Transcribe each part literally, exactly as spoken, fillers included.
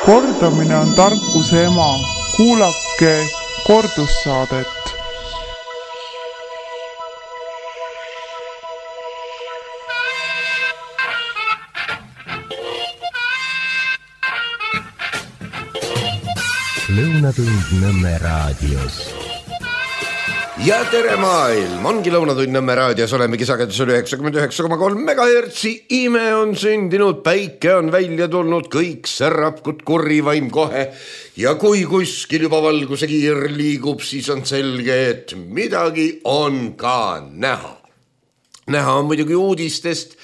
Kordamine on tarkuse ema. Kuulake kordussaadet. Lõunatund Nõmme raadios. Ja tere maailm, ongi Lõunatund Nõmme raadios, olemegi sagedusel üheksakümmend üheksa koma kolm megahertsi. Ime on sündinud, päike on välja tulnud, kõik särab kui kurrivaim kohe. Ja kui kuskil juba valguse kiir liigub, siis on selge, et midagi on ka näha. Näha on muidugi uudistest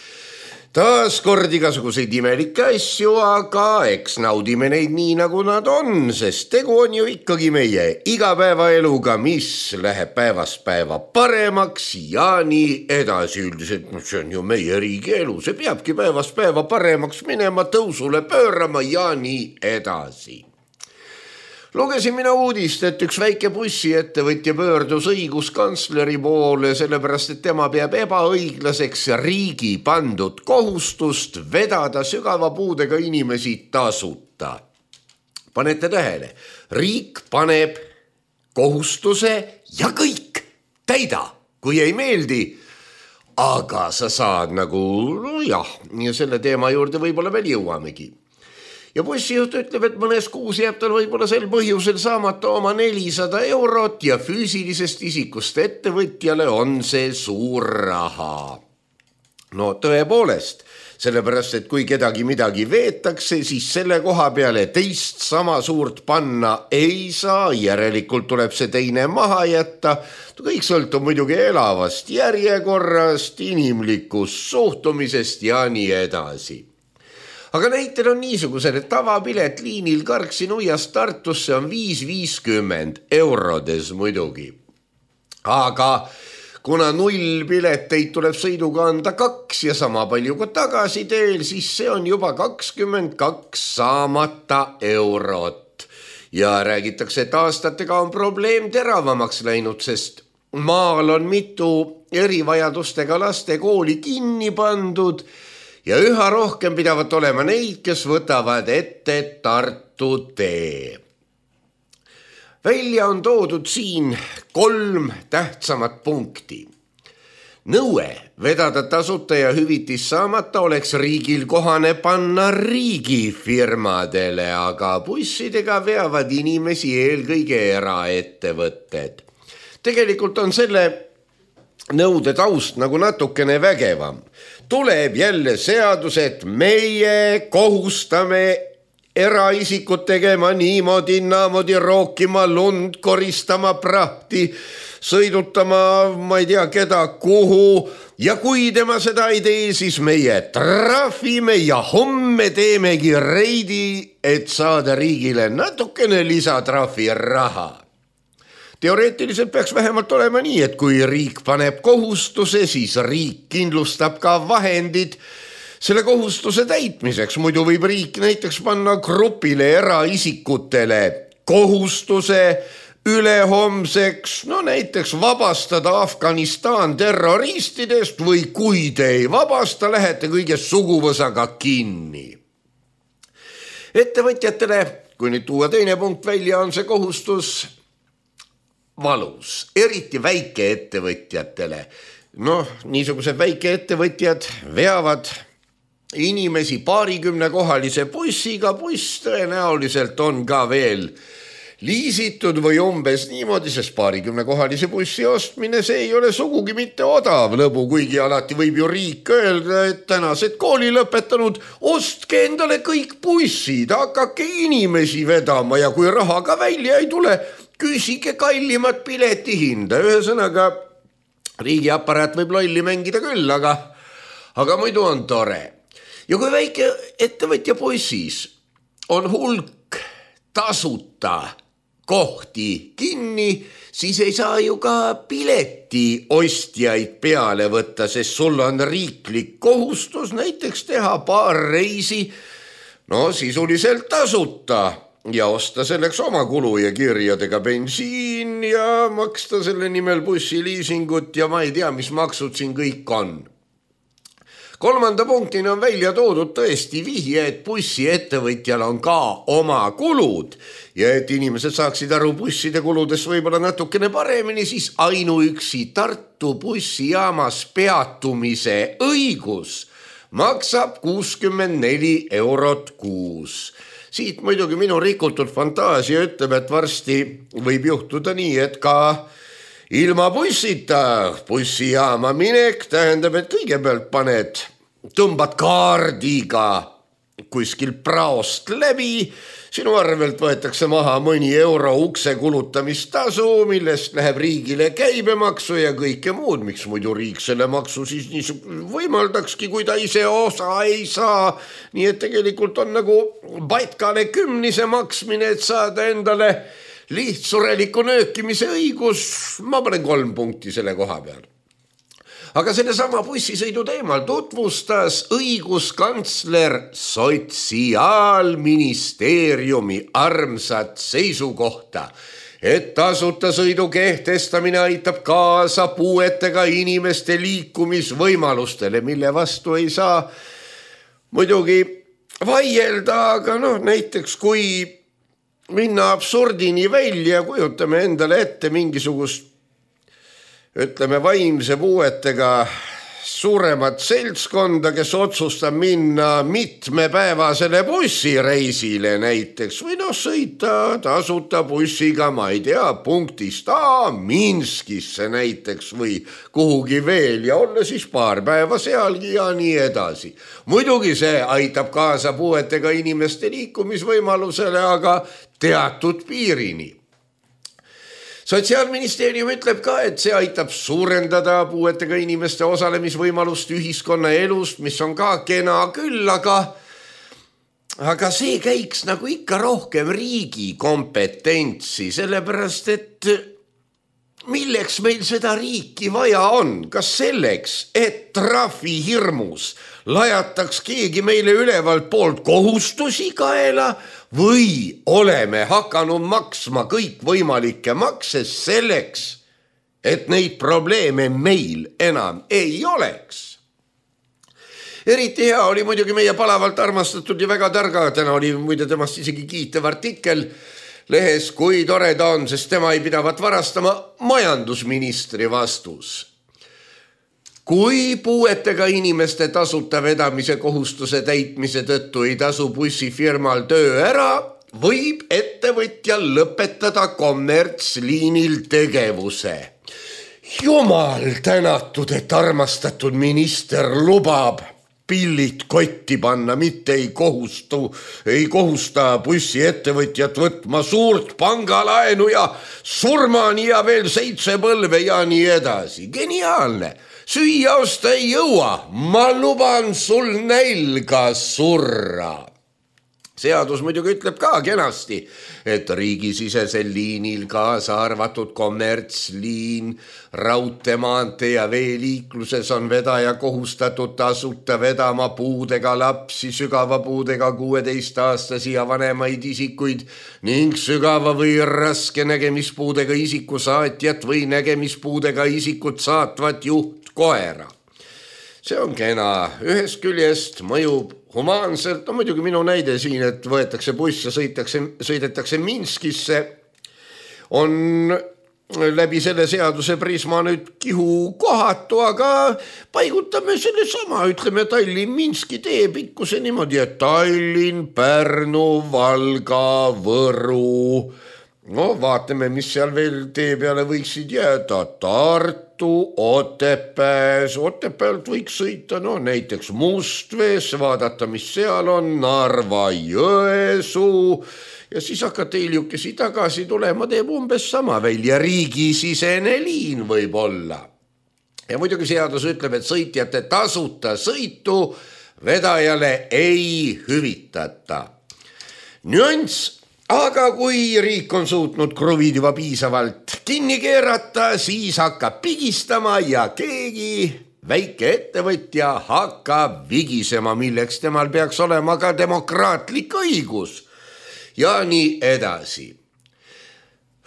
taas kord igasuguseid imelikke asju, aga eks naudime neid nii, nagu nad on, sest tegu on ju ikkagi meie igapäevaeluga, mis läheb päevast päeva paremaks ja nii edasi. Üldiselt see on ju meie riigi elu, see peabki päevast päeva paremaks minema, tõusule pöörama ja nii edasi. Lugesin mina uudist, et üks väike bussiettevõtja pöördus õiguskantsleri poole, sellepärast et tema peab ebaõiglaseks riigi pandud kohustust vedada sügava puudega inimesi tasuta. Panete tähele, riik paneb kohustuse ja kõik täida, kui ei meeldi, aga sa saad nagu, no jah, ja selle teema juurde võib-olla veel jõuamegi. Ja bussijuht ütleb, et mõnes kuus jääb tal võib-olla sel põhjusel saamata oma nelisada eurot ja füüsilisest isikust ettevõtjale on see suur raha. No tõepoolest, sellepärast, et kui kedagi midagi veetakse, siis selle koha peale teist sama suurt panna ei saa, järelikult tuleb see teine maha jätta. Kõik sõltub muidugi elavast järjekorrast, inimlikust suhtumisest ja nii edasi. Aga näitel on niisugused, et tavapilet liinil Karksi Nuiast Tartusse on viis viiskümmend eurodes muidugi. Aga kuna nullpileteid tuleb sõiduga anda kaks ja sama palju kui tagasi teel, siis see on juba kakskümmend kaks saamata eurot. Ja räägitakse, et aastatega on probleem teravamaks läinud, sest maal on mitu erivajadustega laste kooli kinni pandud, ja üha rohkem pidavat olema neid, kes võtavad ette Tartu tee. Välja on toodud siin kolm tähtsamat punkti. Nõue vedada tasuta ja hüvitis saamata oleks riigil kohane panna riigifirmadele, aga bussidega veavad inimesi eelkõige eraettevõtted. Tegelikult on selle nõude taust nagu natukene vägevam. Tuleb jälle seadus, et meie kohustame eraisikud tegema niimoodi, naamodi rookima lund, koristama prahti, sõidutama, ma ei tea keda, kuhu. Ja kui tema seda ei tee, siis meie trahvime ja homme teemegi reidi, et saada riigile natukene lisatrahvi raha. Teoreetiliselt peaks vähemalt olema nii, et kui riik paneb kohustuse, siis riik kindlustab ka vahendid selle kohustuse täitmiseks. Muidu võib riik näiteks panna grupile eraisikutele kohustuse ülehomseks, no näiteks vabastada Afganistan terroristidest või kui te ei vabasta, lähete kõige suguvõsaga kinni. Ettevõtjatele, kui nüüd tuua teine punkt välja, on see kohustus valus, eriti väikeettevõtjatele. Noh, niisugused väikeettevõtjad veavad inimesi paarikümne kohalise bussiga, buss tõenäoliselt on ka veel liisitud või umbes niimoodi, sest paarikümne kohalise bussi ostmine, see ei ole sugugi mitte odav lõbu, kuigi alati võib ju riik öelda, et tänased kooli lõpetanud, ostke endale kõik bussid, hakake inimesi vedama ja kui raha ka välja ei tule, küsige kallimat piletihinda. Ühesõnaga, riigiaparaat võib lolli mängida küll, aga, aga muidu on tore. Ja kui väike ettevõtja bussis on hulk tasuta kohti kinni, siis ei saa ju ka pileti ostjaid peale võtta, sest sul on riiklik kohustus näiteks teha paar reisi, no sisuliselt tasuta. Ja osta selleks oma kulu ja kirjadega bensiin ja maksta selle nimel bussiliisingut ja ma ei tea, mis maksud siin kõik on. kolmanda punktina on välja toodud tõesti vihje, et bussiettevõtjal on ka oma kulud ja et inimesed saaksid aru busside kuludest võib-olla natukene paremini, siis ainuüksi Tartu bussijaamas peatumise õigus maksab kuuskümmend neli eurot kuus. Siit muidugi minu rikutud fantaasia ütleb, et varsti võib juhtuda nii, et ka ilma bussita bussijaama minek tähendab, et kõigepealt paned, tõmbad kaardiga kuskil praost läbi, sinu arvelt võetakse maha mõni euro ukse kulutamistasu, millest läheb riigile käibemaksu ja kõike muud. Miks muidu riik selle maksu siis nii võimaldakski, kui ta ise osa ei saa. Nii et tegelikult on nagu batkale kümnise maksmine, et saada endale lihtsureliku nöökimise õigus. Ma panen kolm punkti selle koha peal. Aga selle sama bussisõidu teemal tutvustas õiguskantsler Sotsiaalministeeriumi armsat seisukohta, et tasuta sõidu kehtestamine aitab kaasa puuetega inimeste liikumisvõimalustele, mille vastu ei saa muidugi vaielda, aga noh, näiteks kui minna absurdini välja, kujutame endale ette mingisugust, ütleme, vaimse puuetega suuremat seltskonda, kes otsustab minna mitmepäevasele bussireisile näiteks või noh, sõita tasuta bussiga, ma ei tea, punktist A Minskisse näiteks või kuhugi veel ja olla siis paar päeva sealgi ja nii edasi. Muidugi see aitab kaasa puuetega inimeste liikumisvõimalusele, aga teatud piirini. Sotsiaalministeerium ütleb ka, et see aitab suurendada puuetega inimeste osalemisvõimalust ühiskonna elust, mis on ka kena küll, aga, aga see käiks nagu ikka rohkem riigi kompetentsi, sellepärast et milleks meil seda riiki vaja on? Kas selleks, et trahvi hirmus lajataks keegi meile ülevalt poolt kohustusi kaela või oleme hakanud maksma kõik võimalikke makse selleks, et neid probleeme meil enam ei oleks? Eriti hea oli muidugi meie palavalt armastatud ja väga targa, täna oli muide temast isegi kiitev artikkel lehes, kui tore ta on, sest tema ei pidavat varastama, majandusministri vastus. Kui puuetega inimeste tasuta vedamise kohustuse täitmise tõttu ei tasu bussifirmal töö ära, võib ettevõtja lõpetada kommertsliinil tegevuse. Jumal tänatud, et armastatud minister lubab pillid kotti panna, mitte ei kohustu, ei kohusta bussiettevõtjat võtma suurt pangalaenu ja surmani ja veel seitse põlve ja nii edasi. Geniaalne! Süüa osta ei jõua, ma luban sul nälga surra. Seadus muidugi ütleb ka kenasti, et riigisisesel liinil kaasa arvatud kommertsliin, raudteemaantee ja veeliikluses on vedaja kohustatud tasuta vedama puudega lapsi, sügava puudega kuueteistaastasi ja vanemaid isikuid ning sügava või raske nägemispuudega isiku saatjat või nägemispuudega isikut saatvat juhtkoera. See on kena. Ühest küljest mõjub humaanselt, no muidugi minu näide siin, et võetakse buss ja sõitakse, sõidetakse Minskisse, on läbi selle seaduse prisma nüüd kihu kohatu, aga paigutame selle sama, ütleme Tallinn-Minski tee pikkuse niimoodi, et Tallinn, Pärnu, Valga, Võru, no vaatame, mis seal veel tee peale võiksid jääda, Tartu, Otepääs, Otepäält võiks sõita, no näiteks Mustvees, vaadata, mis seal on, Narva, Jõesuu ja siis hakata hiljukesi tagasi tulema, teeb umbes sama välja, riigisisene liin võib olla. Ja muidugi seadus ütleb, et sõitjate tasuta sõitu vedajale ei hüvitata. Nüanss. Aga kui riik on suutnud kruvid juba piisavalt kinni keerata, siis hakkab pigistama ja keegi väike ettevõtja hakkab vigisema, milleks temal peaks olema ka demokraatlik õigus. Ja nii edasi.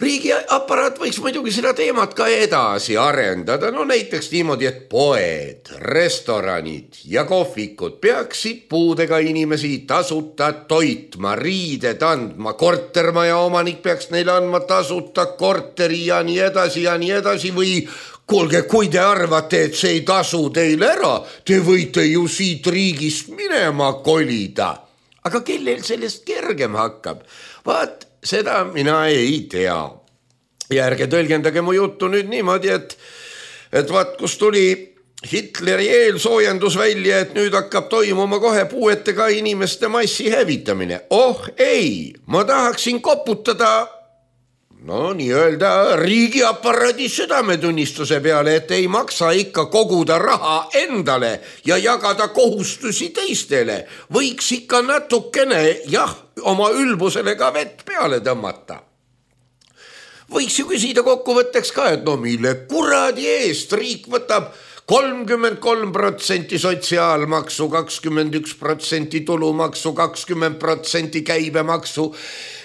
riigiaparaat võiks muidugi seda teemat ka edasi arendada, no näiteks niimoodi, et poed, restoranid ja kohvikud peaksid puudega inimesi tasuta toitma, riided andma, kortermaja omanik peaks neile andma tasuta korteri ja nii edasi ja nii edasi või kuulge, kui te arvate, et see ei tasu teile ära, te võite ju siit riigist minema kolida. Aga kellel sellest kergem hakkab? Vaat, seda mina ei tea. Ja ärge tõlgendage mu juttu nüüd niimoodi, et, et vaat kus tuli Hitleri eelsoojendus välja, et nüüd hakkab toimuma kohe puuetega inimeste massi hävitamine. Oh ei, ma tahaksin koputada no nii-öelda riigiaparaadi südametunnistuse peale, et ei maksa ikka koguda raha endale ja jagada kohustusi teistele. Võiks ikka natukene, jah, oma ülbusele ka vett peale tõmmata. Võiks ju küsida kokkuvõtteks ka, et no mille kuradi eest riik võtab kolmkümmend kolm protsenti sotsiaalmaksu, kakskümmend üks protsenti tulumaksu, kakskümmend protsenti käibemaksu,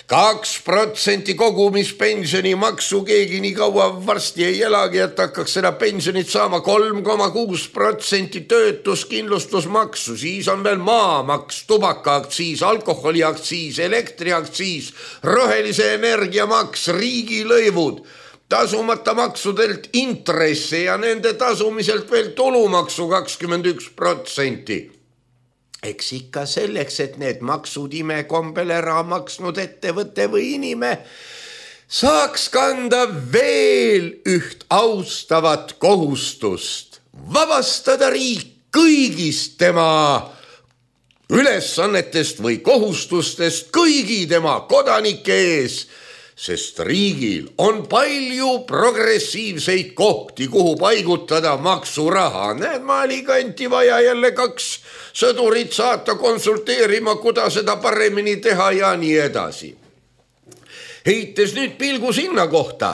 kaks protsenti kogumispensioni maksu, keegi nii kaua varsti ei elagi, et hakkaks seda pensionit saama kolm koma kuus protsenti töötuskindlustusmaksu, siis on veel maamaks, tubakaaktsiis, alkoholiaktsiis, elektriaktsiis, rohelise energiamaks, riigilõivud, tasumata maksudelt intresse ja nende tasumiselt veel tulumaksu kakskümmend üks protsenti. Eks ikka selleks, et need maksud imekombel ära maksnud ettevõtte või inime saaks kanda veel üht austavat kohustust, vabastada riik kõigist tema ülesannetest või kohustustest kõigi tema kodanike ees, sest riigil on palju progressiivseid kohti, kuhu paigutada maksuraha. Näed, maalikanti vaja jälle kaks sõdurit saata konsulteerima, kuidas seda paremini teha ja nii edasi. Heites nüüd pilgu sinna kohta,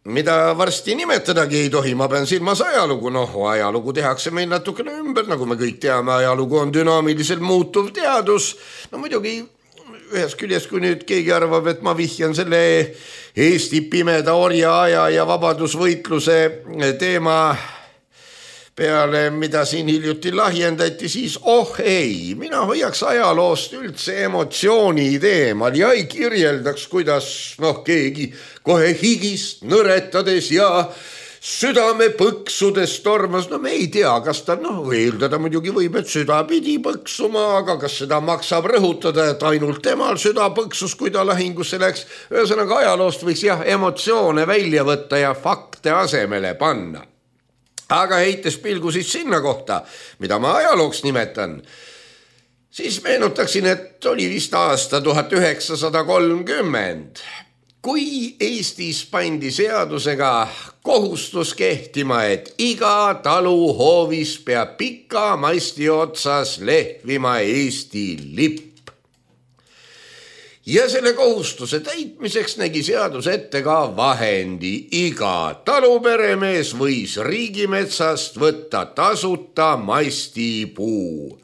mida varsti nimetadagi ei tohi, ma pean silmas ajalugu. Noh, ajalugu tehakse meil natukene ümber, nagu me kõik teame, ajalugu on dünaamiliselt muutuv teadus. No muidugi ühes küljest, kui nüüd keegi arvab, et ma vihjan selle Eesti pimeda orja aja ja vabadusvõitluse teema peale, mida siin hiljuti lahjendati, siis oh ei, mina hoiaks ajaloost üldse emotsiooni teemal ja ei kirjeldaks, kuidas noh, keegi kohe higist nõretades ja südame põksudes tormas. No me ei tea, kas ta, noh, eeldada muidugi võib, et süda pidi põksuma, aga kas seda maksab rõhutada, et ainult temal süda põksus, kui ta lahingusse läks. Ühesõnaga ajaloost võiks jah emotsioone välja võtta ja fakte asemele panna. Aga heites pilgu siis sinna kohta, mida ma ajalooks nimetan, siis meenutaksin, et oli vist aasta tuhat üheksasada kolmkümmend. Kui Eestis pandi seadusega kohustus kehtima, et iga talu hoovis peab pika masti otsas lehvima Eesti lipp. Ja selle kohustuse täitmiseks nägi seadus ette ka vahendi. Iga taluperemees võis riigimetsast võtta tasuta mastipuu.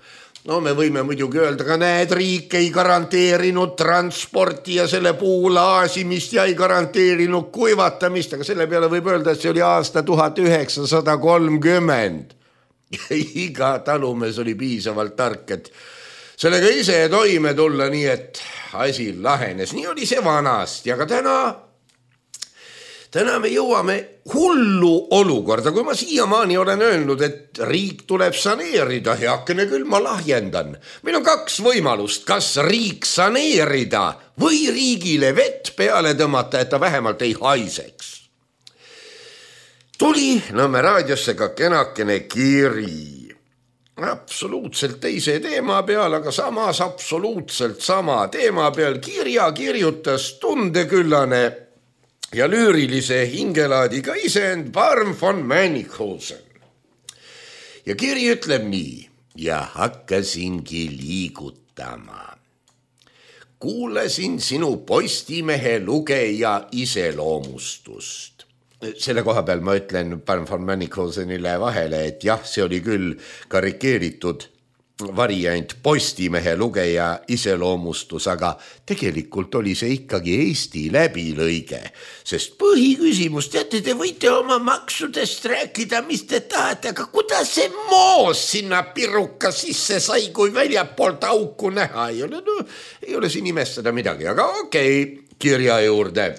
No me võime muidugi öelda, ka näed, riik ei garanteerinud transporti ja selle puu laasimist ja ei garanteerinud kuivatamist, aga selle peale võib öelda, et see oli aasta tuhat üheksasada kolmkümmend. Iga talumees oli piisavalt tark, et sellega ise toime tulla, nii et asi lahenes. Nii oli see vanast ja ka täna Täna me jõuame hullu olukorda, kui ma siiamaani olen öelnud, et riik tuleb saneerida, heakene küll ma lahjendan. Meil on kaks võimalust, kas riik saneerida või riigile vett peale tõmmata, et ta vähemalt ei haiseks. Tuli Nõmme raadiosse ka kenakene kiri. Absoluutselt teise teema peal, aga samas absoluutselt sama teema peal. Kirja kirjutas tundeküllane ja lüürilise hingelaadiga isend Barm von Manninghausen. Ja kiri ütleb nii, ja hakkasingi liigutama. Kuulasin sinu Postimehe lugeja iseloomustust. Selle koha peal ma ütlen Barm von Manninghausenile vahele, et jah, see oli küll karikeeritud variant Postimehe lugeja iseloomustus, aga tegelikult oli see ikkagi Eesti läbilõige, sest põhiküsimus, teate, te võite oma maksudest rääkida, mis te tahate, aga kuidas see moos sinna piruka sisse sai, kui väljapoolt auku näha ei ole? No, ei ole siin imestada midagi, aga okei, kirja juurde.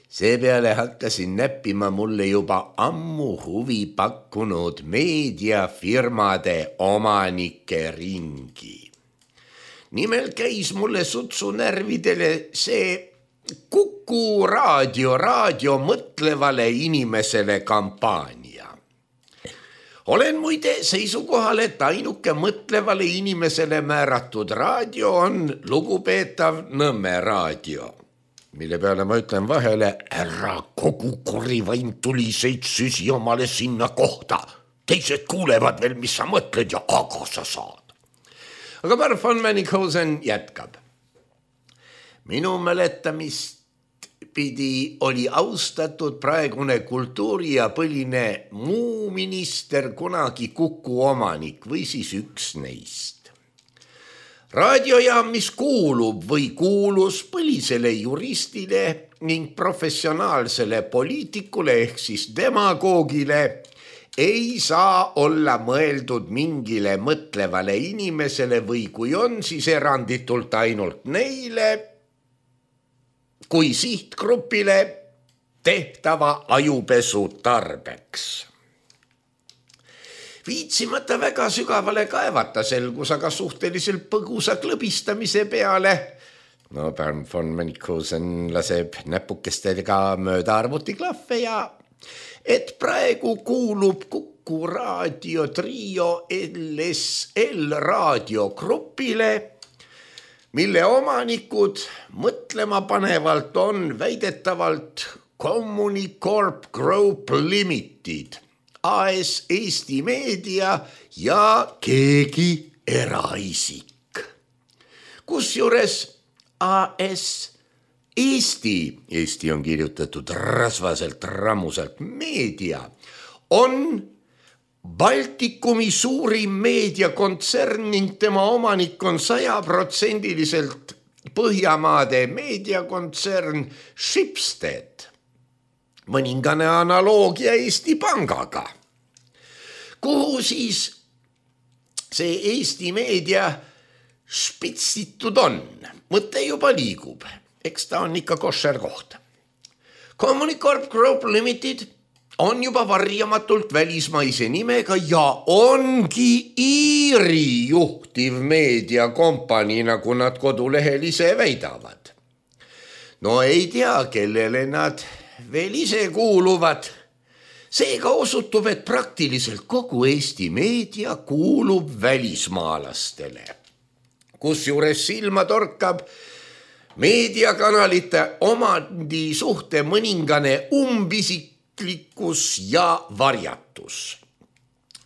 Seepeale hakkasin näppima mulle juba ammu huvi pakkunud meediafirmade omanike ringi. Nimelt käis mulle sutsu närvidele see Kuku raadio, raadio mõtlevale inimesele kampaania. Olen muide seisukohal, et ainuke mõtlevale inimesele määratud raadio on lugupeetav Nõmme raadio, mille peale ma ütlen vahele, ära kogu korivain tuliseid süsi omale sinna kohta. Teised kuulevad veel, mis sa mõtled ja aga sa saad. Aga Barb von Manninghausen jätkab. Minu mäletamist pidi oli austatud praegune kultuuri- ja põline muu minister kunagi Kuku omanik või siis üks neist. Raadiojaam, mis kuulub või kuulus põlisele juristile ning professionaalsele poliitikule ehk siis demagoogile, ei saa olla mõeldud mingile mõtlevale inimesele või kui on, siis eranditult ainult neile, kui sihtgrupile tehtava ajupesu tarbeks. Viitsimata väga sügavale kaevata selgus, aga suhteliselt põgusa klõbistamise peale. No Barb von Manninghausen laseb näpukestega mööda arvutiklahve ja et praegu kuulub Kuku raadio trio L S L raadiogrupile, mille omanikud mõtlema panevalt on väidetavalt Communicorp Group Limited, A S Eesti Meedia ja keegi eraisik. Kusjuures A S Eesti, Eesti on kirjutatud rasvaselt, rammuselt, meedia on Baltikumi suurim meediakontsern ning tema omanik on sajaprotsendiliselt Põhjamaade meediakontsern Schibsted, mõningane analoogia Eesti Pangaga, kuhu siis see Eesti meedia spitsitud on. Mõte juba liigub, eks ta on ikka košer koht. Communicorp Group Limited on juba varjamatult välismaise nimega ja ongi Iiri juhtiv meediakompanii, nagu nad kodulehel ise väidavad. No ei tea, kellele nad veel ise kuuluvad. Seega osutub, et praktiliselt kogu Eesti meedia kuulub välismaalastele. Kusjuures silma torkab meediakanalite omandi suhte mõningane umbisiklikkus ja varjatus.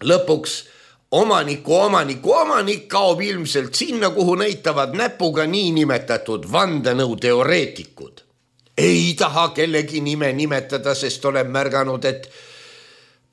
Lõpuks omaniku omaniku omanik kaob ilmselt sinna, kuhu näitavad näpuga niinimetatud vandenõuteoreetikud. Ei taha kellegi nime nimetada, sest olen märganud, et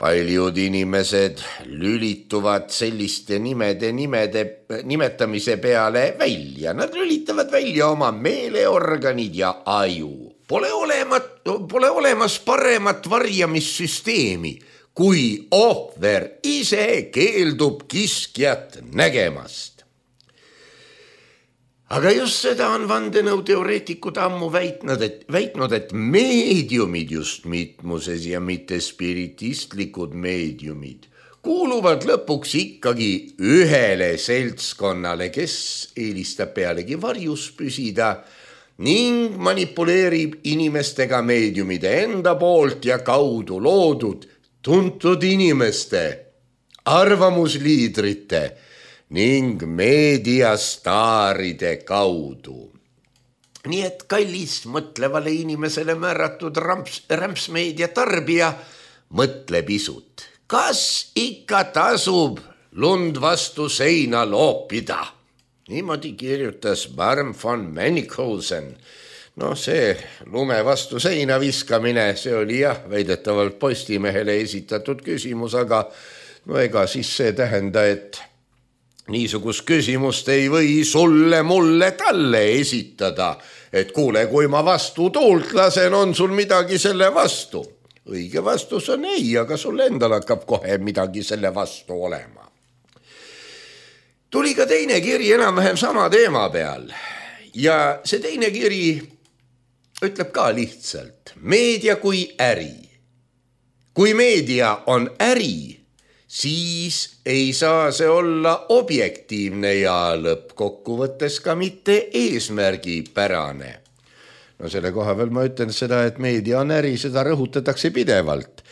paljud inimesed lülituvad selliste nimede, nimede nimetamise peale välja. Nad lülitavad välja oma meeleorganid ja aju. Pole, olemat, pole olemas paremat varjamissüsteemi, kui ohver ise keeldub kiskjat nägemast. Aga just seda on vandenõuteoreetikud ammu väitnud, et, väitnud, et meediumid, just mitmuses ja mitte spiritistlikud meediumid, kuuluvad lõpuks ikkagi ühele seltskonnale, kes eelistab pealegi varjus püsida ning manipuleerib inimestega meediumide enda poolt ja kaudu loodud tuntud inimeste, arvamusliidrite ning meediastaaride kaudu. Nii et kallis mõtlevale inimesele määratud ramps, rämpsmeedia tarbija, mõtle pisut. Kas ikka tasub lund vastu seina loopida? Niimoodi kirjutas Barb von Manninghausen. No see lume vastu seina viskamine, see oli jah, väidetavalt Postimehele esitatud küsimus, aga no ega siis see tähenda, et niisugust küsimust ei või sulle, mulle, talle esitada, et kuule, kui ma vastu tuult lasen, on sul midagi selle vastu. Õige vastus on ei, aga sul endal hakkab kohe midagi selle vastu olema. Tuli ka teine kiri enam-vähem sama teema peal ja see teine kiri ütleb ka lihtsalt meedia kui äri. Kui meedia on äri, siis ei saa see olla objektiivne ja lõppkokkuvõttes ka mitte eesmärgipärane. No selle koha veel ma ütlen seda, et meedia on äri, seda rõhutatakse pidevalt.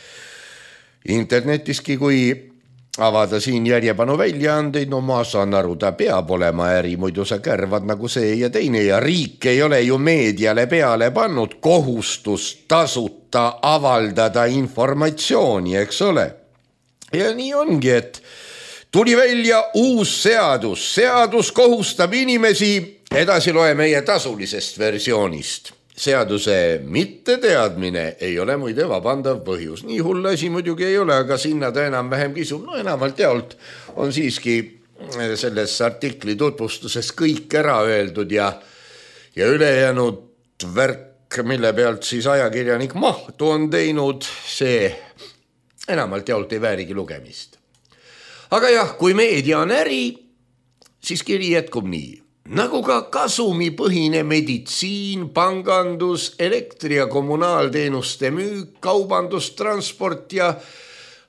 Internetiski, kui avada siin järjepanu väljaandeid, no ma saan aru, ta peab olema äri, muidu sa kärvad nagu see ja teine ja riik ei ole ju meediale peale pannud kohustust tasuta avaldada informatsiooni, eks ole. Ja nii ongi, et tuli välja uus seadus. Seadus kohustab inimesi, edasi loe meie tasulisest versioonist. Seaduse mitteteadmine ei ole muide vabandav põhjus. Nii hull asi muidugi ei ole, aga sinna ta enam vähem kisub. No enamalt jaolt on siiski selles artikli tutvustuses kõik ära öeldud ja, ja ülejäänud värk, mille pealt siis ajakirjanik mahtu on teinud, see enamalt jaolt ei väärigi lugemist. Aga jah, kui meedia on äri, siis kiri jätkub nii. Nagu ka kasumipõhine meditsiin, pangandus, elektri- ja kommunaalteenuste müük, kaubandus, transport ja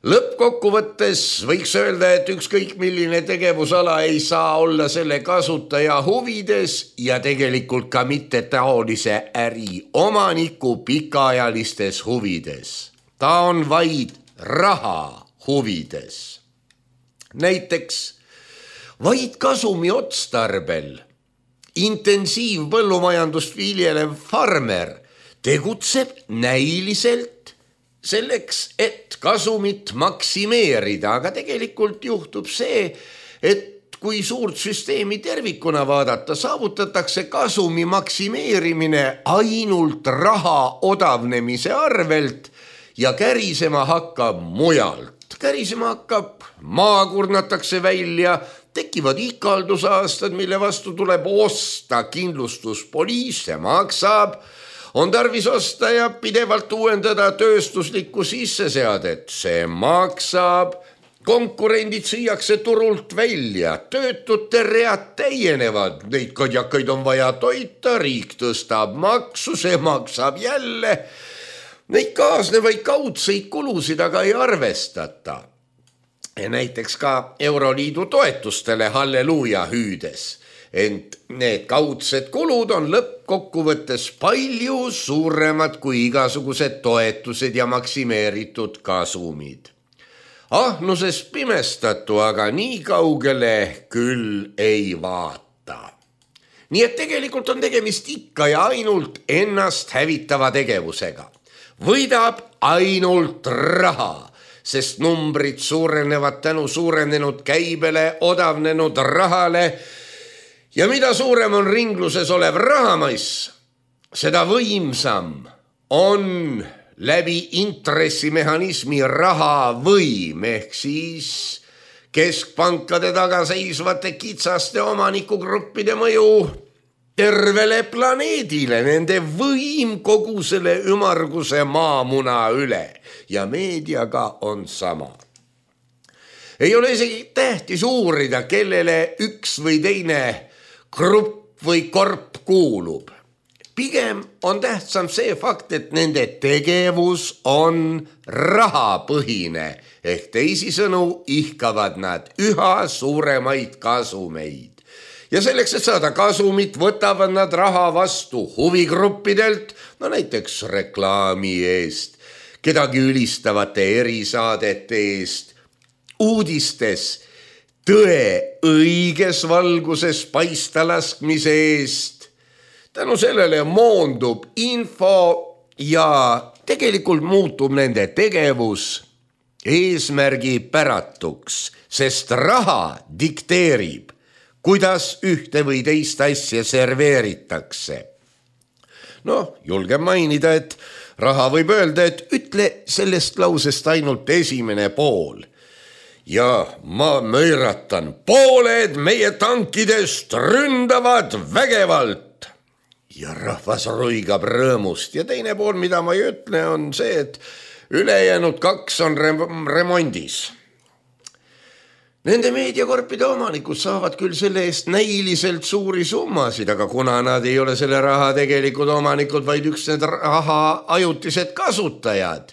lõppkokkuvõttes võiks öelda, et ükskõik milline tegevusala ei saa olla selle kasutaja huvides ja tegelikult ka mitte taolise äri omaniku pikaajalistes huvides. Ta on vaid raha huvides. Näiteks vaid kasumi otstarbel intensiivpõllumajandust viljelev farmer tegutseb näiliselt selleks, et kasumit maksimeerida, aga tegelikult juhtub see, et kui suurt süsteemi tervikuna vaadata, saavutatakse kasumi maksimeerimine ainult raha odavnemise arvelt ja kärisema hakkab mujalt. Kärisema hakkab, maa kurnatakse välja, tekivad ikaldusaastad, mille vastu tuleb osta kindlustuspoliis, see maksab, on tarvis osta ja pidevalt uuendada tööstuslikku sisseseadet, see maksab, konkurendid süüakse turult välja, töötute read täienevad, neid kadjakaid on vaja toita, riik tõstab maksu, see maksab jälle, neid kaasnevaid kaudseid kulusid aga ei arvestata. Näiteks ka Euroliidu toetustele halleluuja hüüdes, ent need kaudsed kulud on lõppkokkuvõttes palju suuremad kui igasugused toetused ja maksimeeritud kasumid. Ahnuses pimestatu aga nii kaugele küll ei vaata. Nii et tegelikult on tegemist ikka ja ainult ennast hävitava tegevusega. Võidab ainult raha, sest numbrid suurenevad tänu suurenenud käibele, odavnenud rahale ja mida suurem on ringluses olev rahamass, seda võimsam on läbi intressimehhanismi raha võim ehk siis keskpankade taga seisvate kitsaste omanikugruppide mõju tervele planeedile, nende võim kogu selle ümarguse maamuna üle ja meediaga on sama. Ei ole isegi tähtis uurida, kellele üks või teine grupp või korp kuulub. Pigem on tähtsam see fakt, et nende tegevus on rahapõhine ehk teisisõnu ihkavad nad üha suuremaid kasumeid. Ja selleks, et saada kasumit, võtavad nad raha vastu huvigruppidelt, no näiteks reklaami eest, kedagi ülistavate erisaadete eest, uudistes tõe õiges valguses paista laskmise eest. Tänu sellele moondub info ja tegelikult muutub nende tegevus eesmärgipäratuks, sest raha dikteerib, kuidas ühte või teist asja serveeritakse. No, julgen mainida, et raha võib öelda, et ütle sellest lausest ainult esimene pool. ja ma möiratan, pooled meie tankidest ründavad vägevalt ja rahvas roigab rõõmust ja teine pool, mida ma ei ütle, on see, et ülejäänud kaks on rem- remondis. Nende meediakorpide omanikud saavad küll selle eest näiliselt suuri summasid, aga kuna nad ei ole selle raha tegelikud omanikud, vaid üks need raha ajutised kasutajad,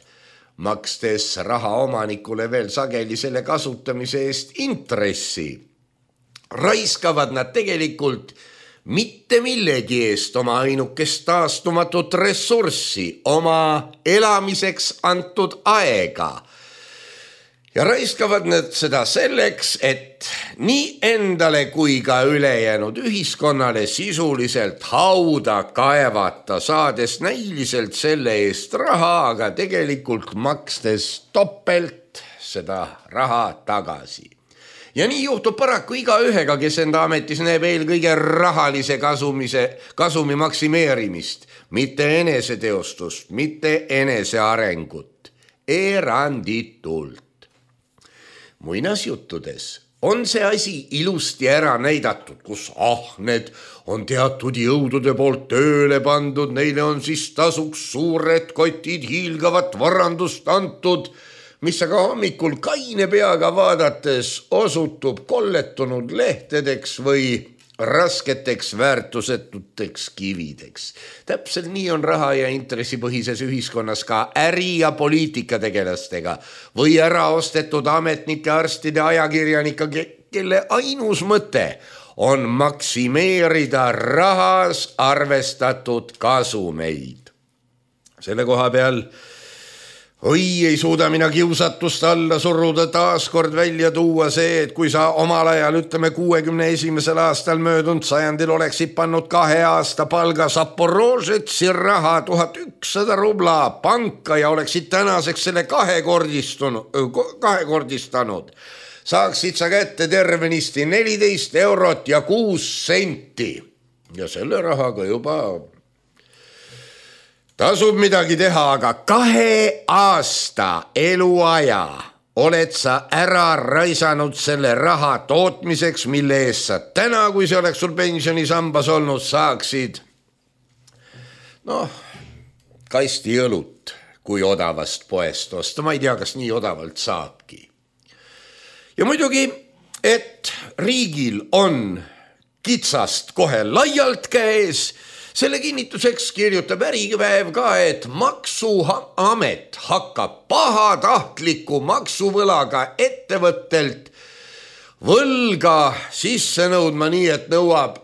makstes raha omanikule veel sageli selle kasutamise eest intressi, raiskavad nad tegelikult mitte millegi eest oma ainukest taastumatut ressurssi, oma elamiseks antud aega. Ja raiskavad nad seda selleks, et nii endale kui ka ülejäänud ühiskonnale sisuliselt hauda kaevata, saades näiliselt selle eest raha, aga tegelikult makstes topelt seda raha tagasi. Ja nii juhtub paraku iga ühega, kes enda ametis näeb eelkõige rahalise kasumise, kasumi maksimeerimist, mitte eneseteostust, mitte enesearengut, eranditult. Muinasjuttudes on see asi ilusti ära näidatud, kus ahned on teatud jõudude poolt tööle pandud, neile on siis tasuks suured kotid hiilgavat varandust antud, mis aga hommikul kaine peaga vaadates osutub kolletunud lehtedeks või rasketeks väärtusetuteks kivideks. Täpselt nii on raha ja intressipõhises ühiskonnas ka äri- ja poliitikategelastega või ära ostetud ametnike, arstide, ajakirjanika, kelle ainus mõte on maksimeerida rahas arvestatud kasumeid. Selle koha peal oi, ei suuda mina kiusatust alla suruda, taaskord välja tuua see, et kui sa omal ajal, ütleme kuuekümne esimesel aastal möödunud sajandil oleksid pannud kahe aasta palga Zaporožetsi raha tuhat ükssada rubla panka ja oleksid tänaseks selle kahekordistanud, saaksid sa kätte tervenisti neliteist eurot ja kuus senti ja selle rahaga juba tasub midagi teha, aga kahe aasta eluaja oled sa ära raisanud selle raha tootmiseks, mille eest sa täna, kui see oleks sul pensionisambas olnud, saaksid noh, kasti õlut, kui odavast poest osta. Ma ei tea, kas nii odavalt saabki. Ja muidugi, et riigil on kitsast kohe laialt käes, selle kinnituseks kirjutab Äripäev ka, et maksuamet hakkab pahatahtliku maksuvõlaga ettevõttelt võlga sisse nõudma nii, et nõuab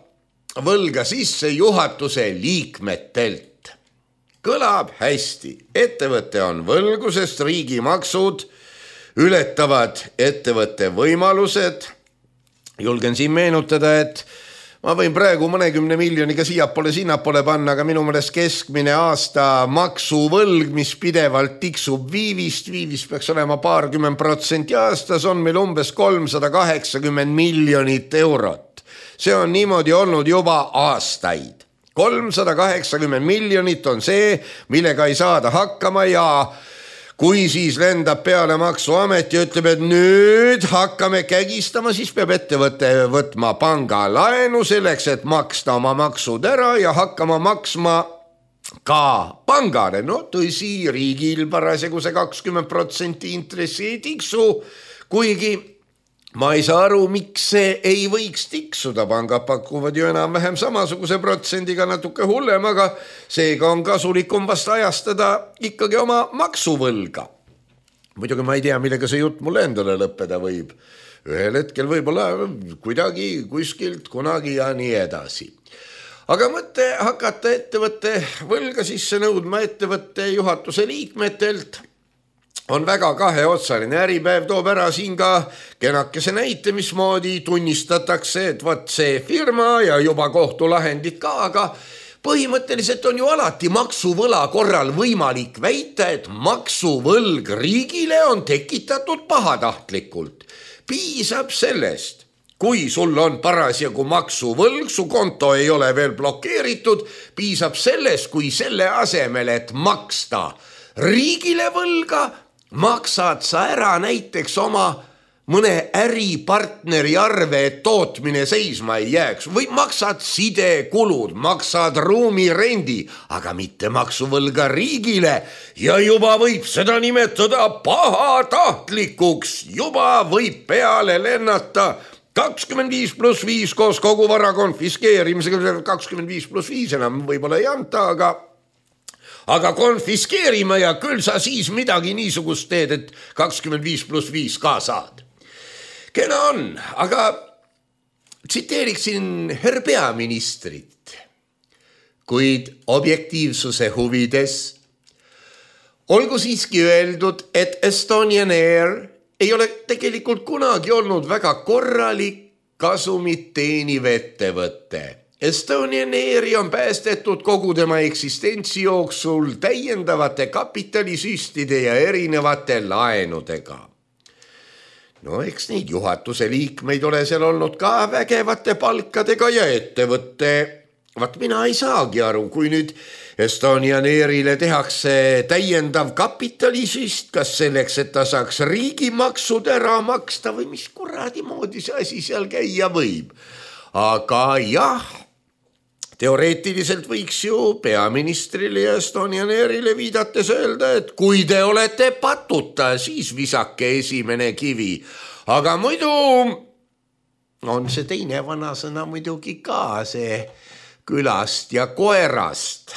võlga sisse juhatuse liikmetelt. Kõlab hästi. Ettevõte on võlgu, sest riigi maksud ületavad ettevõtte võimalused. Julgen siin meenutada, et ma võin praegu mõnekümne miljoniga siiapoole sinnapoole panna, aga minu mõnest keskmine aasta maksuvõlg, mis pidevalt tiksub viivist, viivist peaks olema paarkümmend protsenti aastas, on meil umbes kolmsada kaheksakümmend miljonit eurot. See on niimoodi olnud juba aastaid. kolmsada kaheksakümmend miljonit on see, millega ei saada hakkama ja kui siis lendab peale maksuamet ja ütleb, et nüüd hakkame kägistama, siis peab ettevõte võtma panga laenu selleks, et maksta oma maksud ära ja hakkama maksma ka pangale. No tõsi, riigil parasjagu see kakskümmend protsenti intressi ei tiksu, kuigi ma ei saa aru, miks see ei võiks tiksuda. Pangad pakuvad ju enam-vähem samasuguse protsendiga natuke hullem, aga seega on kasulikum vast ajastada ikkagi oma maksuvõlga. Muidugi ma ei tea, millega see jutt mulle endale lõppeda võib. Ühel hetkel võib-olla kuidagi kuskilt kunagi ja nii edasi. Aga mõte hakata ettevõtte võlga sisse nõudma ettevõtte juhatuse liikmetelt on väga kaheotsaline. Äripäev toob ära siin ka kenakese näite, mismoodi tunnistatakse, et võt see firma ja juba kohtulahendid ka, aga põhimõtteliselt on ju alati maksuvõla korral võimalik väita, et maksuvõlg riigile on tekitatud pahatahtlikult. Piisab sellest, kui sul on parasjagu maksuvõlg, su konto ei ole veel blokeeritud, piisab sellest, kui selle asemel, et maksta riigile võlga, maksad sa ära näiteks oma mõne äripartneri arve, et tootmine seisma ei jääks või maksad sidekulud, maksad ruumirendi, aga mitte maksuvõlga riigile ja juba võib seda nimetada pahatahtlikuks, juba võib peale lennata kakskümmend viis pluss viis koos kogu vara konfiskeerimisega, kakskümmend viis pluss viis enam võib-olla ei anta, aga aga konfiskeerima ja küll sa siis midagi niisugust teed, et kakskümmend viis pluss viis ka saad. Kena on, aga tsiteeriksin herr peaministrit, kuid objektiivsuse huvides olgu siiski öeldud, et Estonian Air ei ole tegelikult kunagi olnud väga korralik kasumit teeniv ettevõte. Estonian Airi on päästetud kogu tema eksistentsi jooksul täiendavate kapitalisüstide ja erinevate laenudega. No eks neid juhatuse liikmeid ole seal olnud ka vägevate palkadega ja ettevõtte. Vaat mina ei saagi aru, kui nüüd Estonian Airile tehakse täiendav kapitalisüst, kas selleks, et ta saaks riigimaksud ära maksta või mis kuradi moodi see asi seal käia võib. Aga jah, teoreetiliselt võiks ju peaministrile ja Estonian Airile viidates öelda, et kui te olete patuta, siis visake esimene kivi. Aga muidu on see teine vanasõna muidugi ka see külast ja koerast.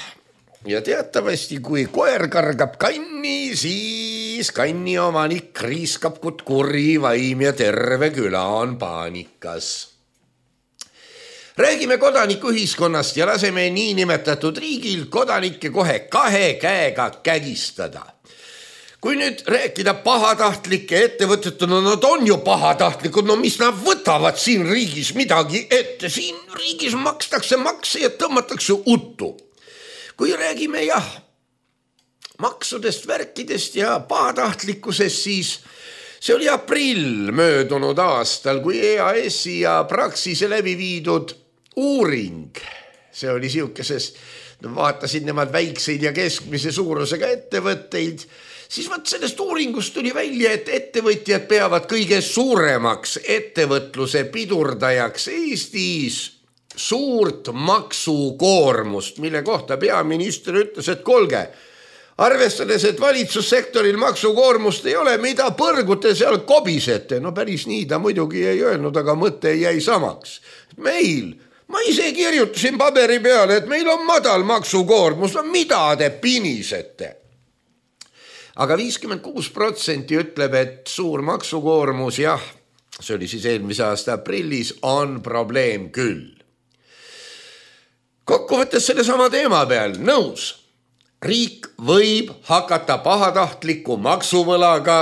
Ja teatavasti, kui koer kargab kanni, siis kanni omanik riiskab kuri vaim ja terve küla on paanikas. Räägime kodanikuühiskonnast ja laseme niinimetatud riigil kodanikke kohe kahe käega kägistada. Kui nüüd rääkida pahatahtlike ettevõtete, no nad on ju pahatahtlikud, no mis nad võtavad siin riigis midagi ette, siin riigis makstakse makse ja tõmmatakse uttu. Kui räägime jah, maksudest, värkidest ja pahatahtlikkusest, siis see oli aprill möödunud aastal, kui E A S-i ja Praxise läbi viidud uuring, see oli siukeses, vaatasid nemad väikseid ja keskmise suurusega ettevõtteid, siis vaat sellest uuringust tuli välja, et ettevõtjad peavad kõige suuremaks ettevõtluse pidurdajaks Eestis suurt maksukoormust, mille kohta peaminister ütles, et kolge, arvestades, et valitsussektoril maksukoormust ei ole, mida põrgute seal kobisete, no päris nii ta muidugi ei öelnud, aga mõte jäi samaks. Meil Ma ise kirjutasin paberi peale, et meil on madal maksukoormus, no mida te pinisete? Aga viiskümmend kuus protsenti ütleb, et suur maksukoormus, jah, see oli siis eelmise aasta aprillis, on probleem küll. Kokkuvõttes selle sama teema peal, nõus. Riik võib hakata pahatahtliku maksuvõlaga,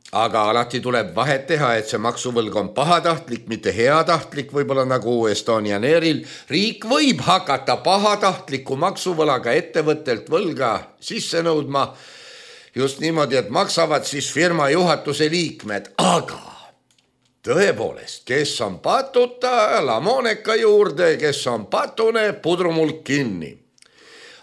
aga alati tuleb vahet teha, et see maksuvõlg on pahatahtlik, mitte heatahtlik, võib-olla nagu Estonian Airil. Riik võib hakata pahatahtliku maksuvõlaga ettevõttelt võlga sisse nõudma just niimoodi, et maksavad siis firma juhatuse liikmed, aga tõepoolest, kes on patuta, lamoneka juurde, kes on patune, pudrumulk kinni.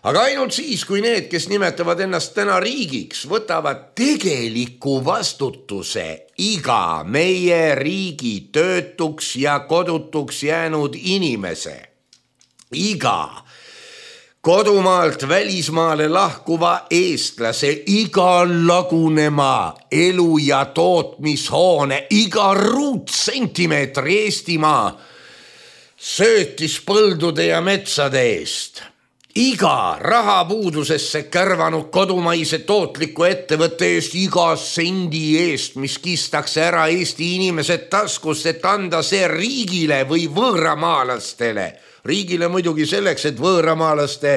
Aga ainult siis, kui need, kes nimetavad ennast täna riigiks, võtavad tegeliku vastutuse iga meie riigi töötuks ja kodutuks jäänud inimese, iga kodumaalt välismaale lahkuva eestlase, iga lagunema elu- ja tootmishoone, iga ruutsentimeetri Eestimaa söötis põldude ja metsade eest. Iga rahapuudusesse kärvanud kodumaise tootliku ettevõtte eest, iga sendi eest, mis kistakse ära Eesti inimesed taskust, et anda see riigile või võõramaalastele. Riigile muidugi selleks, et võõramaalaste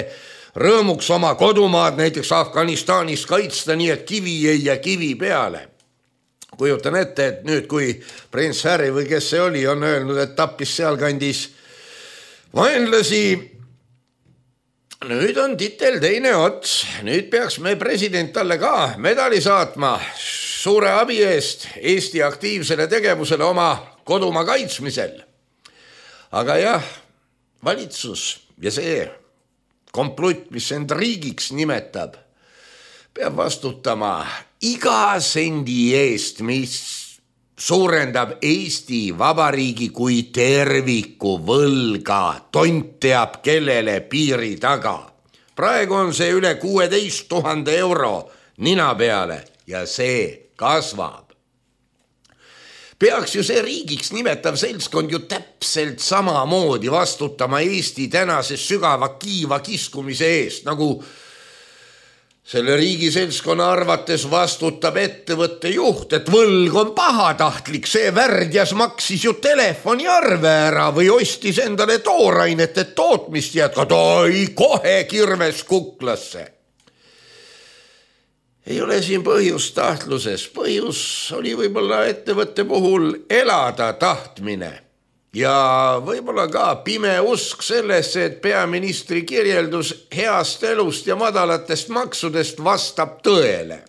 rõõmuks oma kodumaad näiteks Afganistanis kaitsta, nii et kivi ei ja kivi peale. Kujutan ette, et nüüd kui prints Harry või kes see oli, on öelnud, et tappis sealkandis vaenlasi, nüüd on titel teine ots, nüüd peaks me president talle ka medali saatma suure abi eest Eesti aktiivsele tegevusele oma kodumaa kaitsmisel. Aga jah, valitsus ja see komplutt, mis end riigiks nimetab, peab vastutama iga sendi eest, mis suurendab Eesti Vabariigi kui terviku võlga, tont teab kellele piiri taga. Praegu on see üle kuueteist tuhande euro nina peale ja see kasvab. Peaks ju see riigiks nimetav seltskond ju täpselt samamoodi vastutama Eesti tänase sügava kiiva kiskumise eest, nagu selle riigi seltskonna arvates vastutab ettevõtte juht, et võlg on pahatahtlik, see värdjas maksis ju telefoniarve ära või ostis endale toorainet, et tootmist jätkata, oi kohe kirves kuklasse. Ei ole siin põhjus tahtluses, põhjus oli võib-olla ettevõtte puhul elada tahtmine ja võib-olla ka pime usk sellesse, et peaministri kirjeldus heast elust ja madalatest maksudest vastab tõele.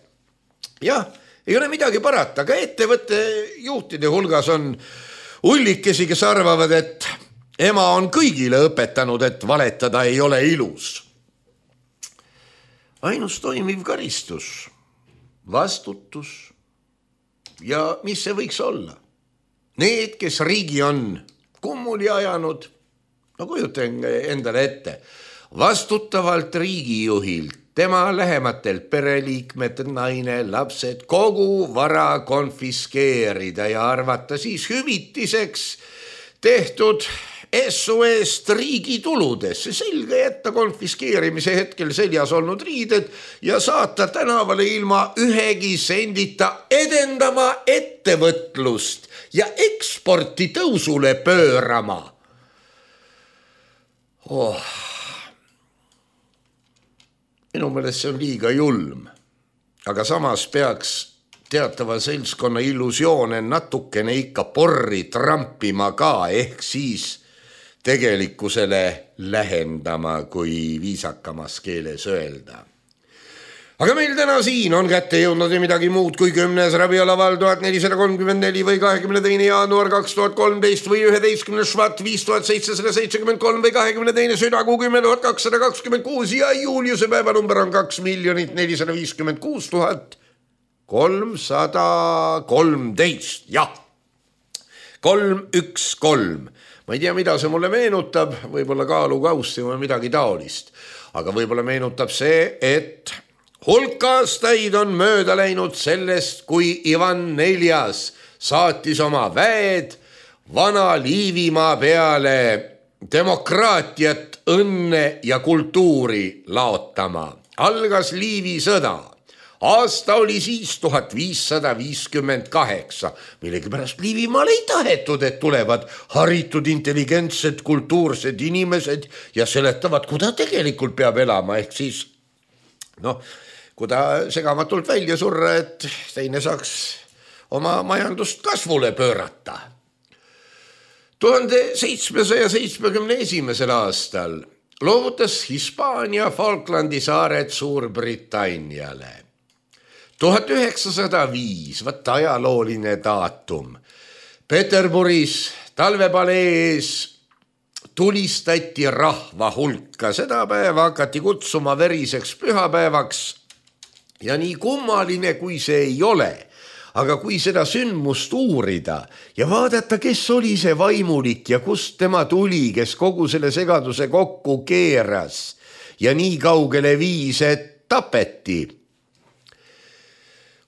Jah, ei ole midagi parata, aga ettevõtte juhtide hulgas on ullikesi, kes arvavad, et ema on kõigile õpetanud, et valetada ei ole ilus. Ainus toimiv karistus, vastutus ja mis see võiks olla? Need, kes riigi on kummuli ajanud, no kujutan endale ette, vastutavalt riigijuhilt, tema lähematelt pereliikmed, naine, lapsed, kogu vara konfiskeerida ja arvata siis hüvitiseks tehtud S O S riigi tuludesse, selga jätta konfiskeerimise hetkel seljas olnud riided ja saata tänavale ilma ühegi sendita edendama ettevõtlust ja eksporti tõusule pöörama. Oh. Minu meelest see on liiga julm, aga samas peaks teatava seltskonna illusioone natukene ikka porri trampima ka, ehk siis tegelikkusele lähendama, kui viisakamas keeles öelda. Aga meil täna siin on kätte jõudnud ja midagi muud kui kümnes rabialaval tuhat nelisada kolmkümmend neli või kahekümne teine jaanuar kaks tuhat kolmteist või üheteistkümne švat viis tuhat seitsesada seitsekümmend kolm või kahekümne teine südakuu kümme tuhat kakssada kakskümmend kuus ja Juliuse päevanumber on kaks miljonit nelisada viiskümmend kuus tuhat kolmsada kolmteist. Jah, kolm, üks, kolm. Ma ei tea, mida see mulle meenutab, võib-olla kaalukaussi või midagi taolist, aga võib-olla meenutab see, et hulk aastaid on mööda läinud sellest, kui Ivan neljas saatis oma väed vana Liivimaa peale demokraatiat, õnne ja kultuuri laotama. Algas Liivi sõda. Aasta oli siis tuhat viissada viiskümmend kaheksa, millegipärast Liivimaal ei tahetud, et tulevad haritud, intelligentsed, kultuursed inimesed ja seletavad, kuda tegelikult peab elama, ehk siis noh, kuda segamatult välja surra, et teine saaks oma majandust kasvule pöörata. tuhande seitsmesaja seitsmekümne esimesel aastal loovutas Hispaania Falklandi saared Suurbritanniale. tuhat üheksasada viis, võt ajalooline daatum. Peterburis talvepalees tulistati rahva hulka. Seda päeva hakati kutsuma veriseks pühapäevaks ja nii kummaline, kui see ei ole. Aga kui seda sündmust uurida ja vaadata, kes oli see vaimulik ja kust tema tuli, kes kogu selle segaduse kokku keeras ja nii kaugele viis, et tapeti.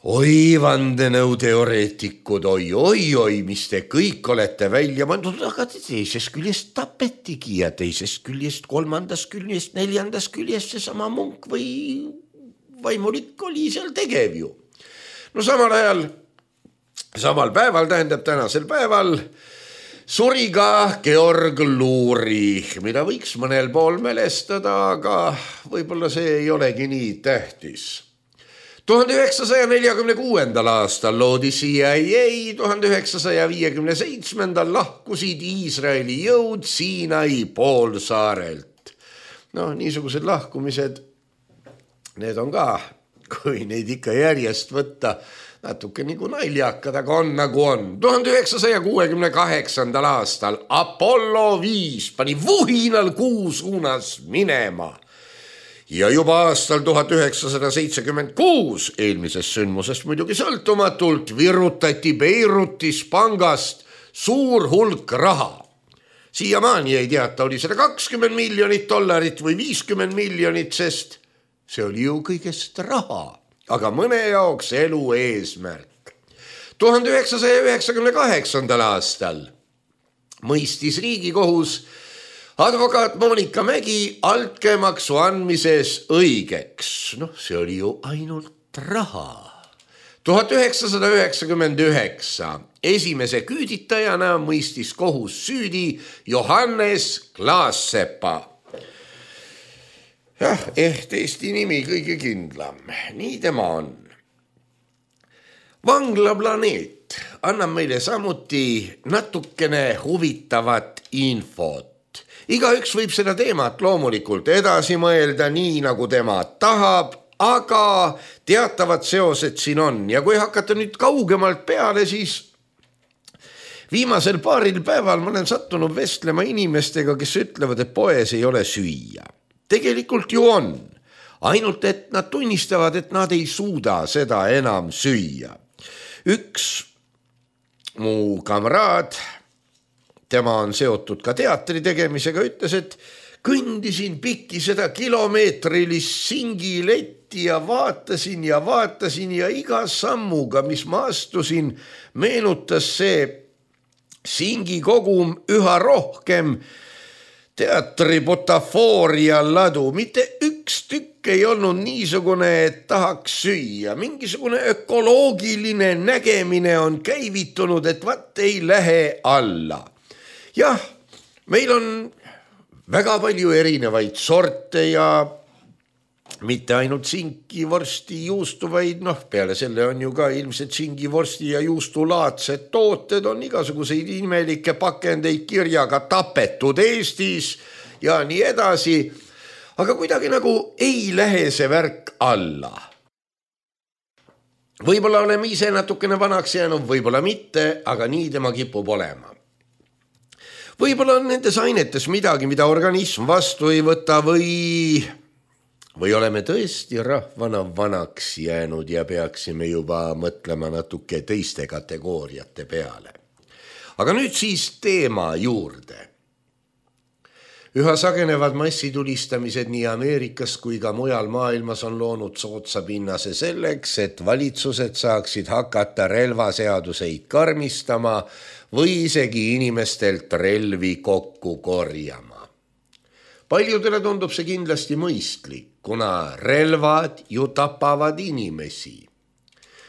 Oi, vandenõuteoreetikud, oi, oi, oi, mis te kõik olete välja mandud, aga teisest küljest tapetigi ja teisest küljest, kolmandast küljest, neljandast küljest see sama munk või vaimulik oli seal tegev ju. No samal ajal, samal päeval, tähendab tänasel päeval, suri ka Georg Luuri, mida võiks mõnel pool mälestada, aga võib-olla see ei olegi nii tähtis. tuhande üheksasaja neljakümne kuuendal aastal loodi C I A, tuhande üheksasaja viiekümne seitsmendal lahkusid Iisraeli jõud Siinai poolsaarelt. No niisugused lahkumised, need on ka, kui neid ikka järjest võtta, natuke nagu naljakad, aga on nagu on. tuhande üheksasaja kuuekümne kaheksandal aastal Apollo viis pani vuhinal kuu suunas minema. ja juba aastal tuhat üheksasada seitsekümmend kuus eelmisest sündmusest muidugi sõltumatult virutati Beirutis pangast suur hulk raha. Siiamaani ei teata, oli seda kakskümmend miljonit dollarit või viiskümmend miljonit, sest see oli ju kõigest raha, aga mõne jaoks elu eesmärk. tuhande üheksasaja üheksakümne kaheksandal aastal mõistis Riigikohus advokaat Monika Mägi altkäemaksu andmises õigeks. Noh, see oli ju ainult raha. tuhat üheksasada üheksakümmend üheksa esimese küüditajana mõistis kohus süüdi Johannes Klaassepa. Jah, ehk Eesti nimi kõige kindlam. Nii tema on. Vanglaplaneet annab meile samuti natukene huvitavat infot. Igaüks võib seda teemat loomulikult edasi mõelda nii, nagu tema tahab, aga teatavad seosed siin on. Ja kui hakata nüüd kaugemalt peale, siis viimasel paaril päeval ma olen sattunud vestlema inimestega, kes ütlevad, et poes ei ole süüa. Tegelikult ju on. Ainult, et nad tunnistavad, et nad ei suuda seda enam süüa. Üks mu kamraad, tema on seotud ka teatri tegemisega, ütles, et kõndisin pikki seda kilomeetrilist singiletti ja vaatasin ja vaatasin ja iga sammuga, mis ma astusin, meenutas see singikogum üha rohkem teatri butafooria ladu. Mitte üks tükk ei olnud niisugune, et tahaks süüa. Mingisugune ökoloogiline nägemine on käivitunud, et vat ei lähe alla. Jah, meil on väga palju erinevaid sorte ja mitte ainult sinki, vorsti, juustu, vaid noh, peale selle on ju ka ilmselt singi, vorsti ja juustu laadsed tooted, on igasuguseid imelikke pakendeid kirjaga tapetud Eestis ja nii edasi. Aga kuidagi nagu ei lähe see värk alla. Võib-olla oleme ise natukene vanaks jäänud, võib-olla mitte, aga nii tema kipub olema. Võib-olla on nendes ainetes midagi, mida organism vastu ei võta või, või oleme tõesti rahvana vanaks jäänud ja peaksime juba mõtlema natuke teiste kategooriate peale. Aga nüüd siis teema juurde. Üha sagenevad massitulistamised nii Ameerikas kui ka mujal maailmas on loonud soodsa pinnase selleks, et valitsused saaksid hakata relvaseaduseid karmistama või isegi inimestelt relvi kokku korjama. Paljudele tundub see kindlasti mõistlik, kuna relvad ju tapavad inimesi.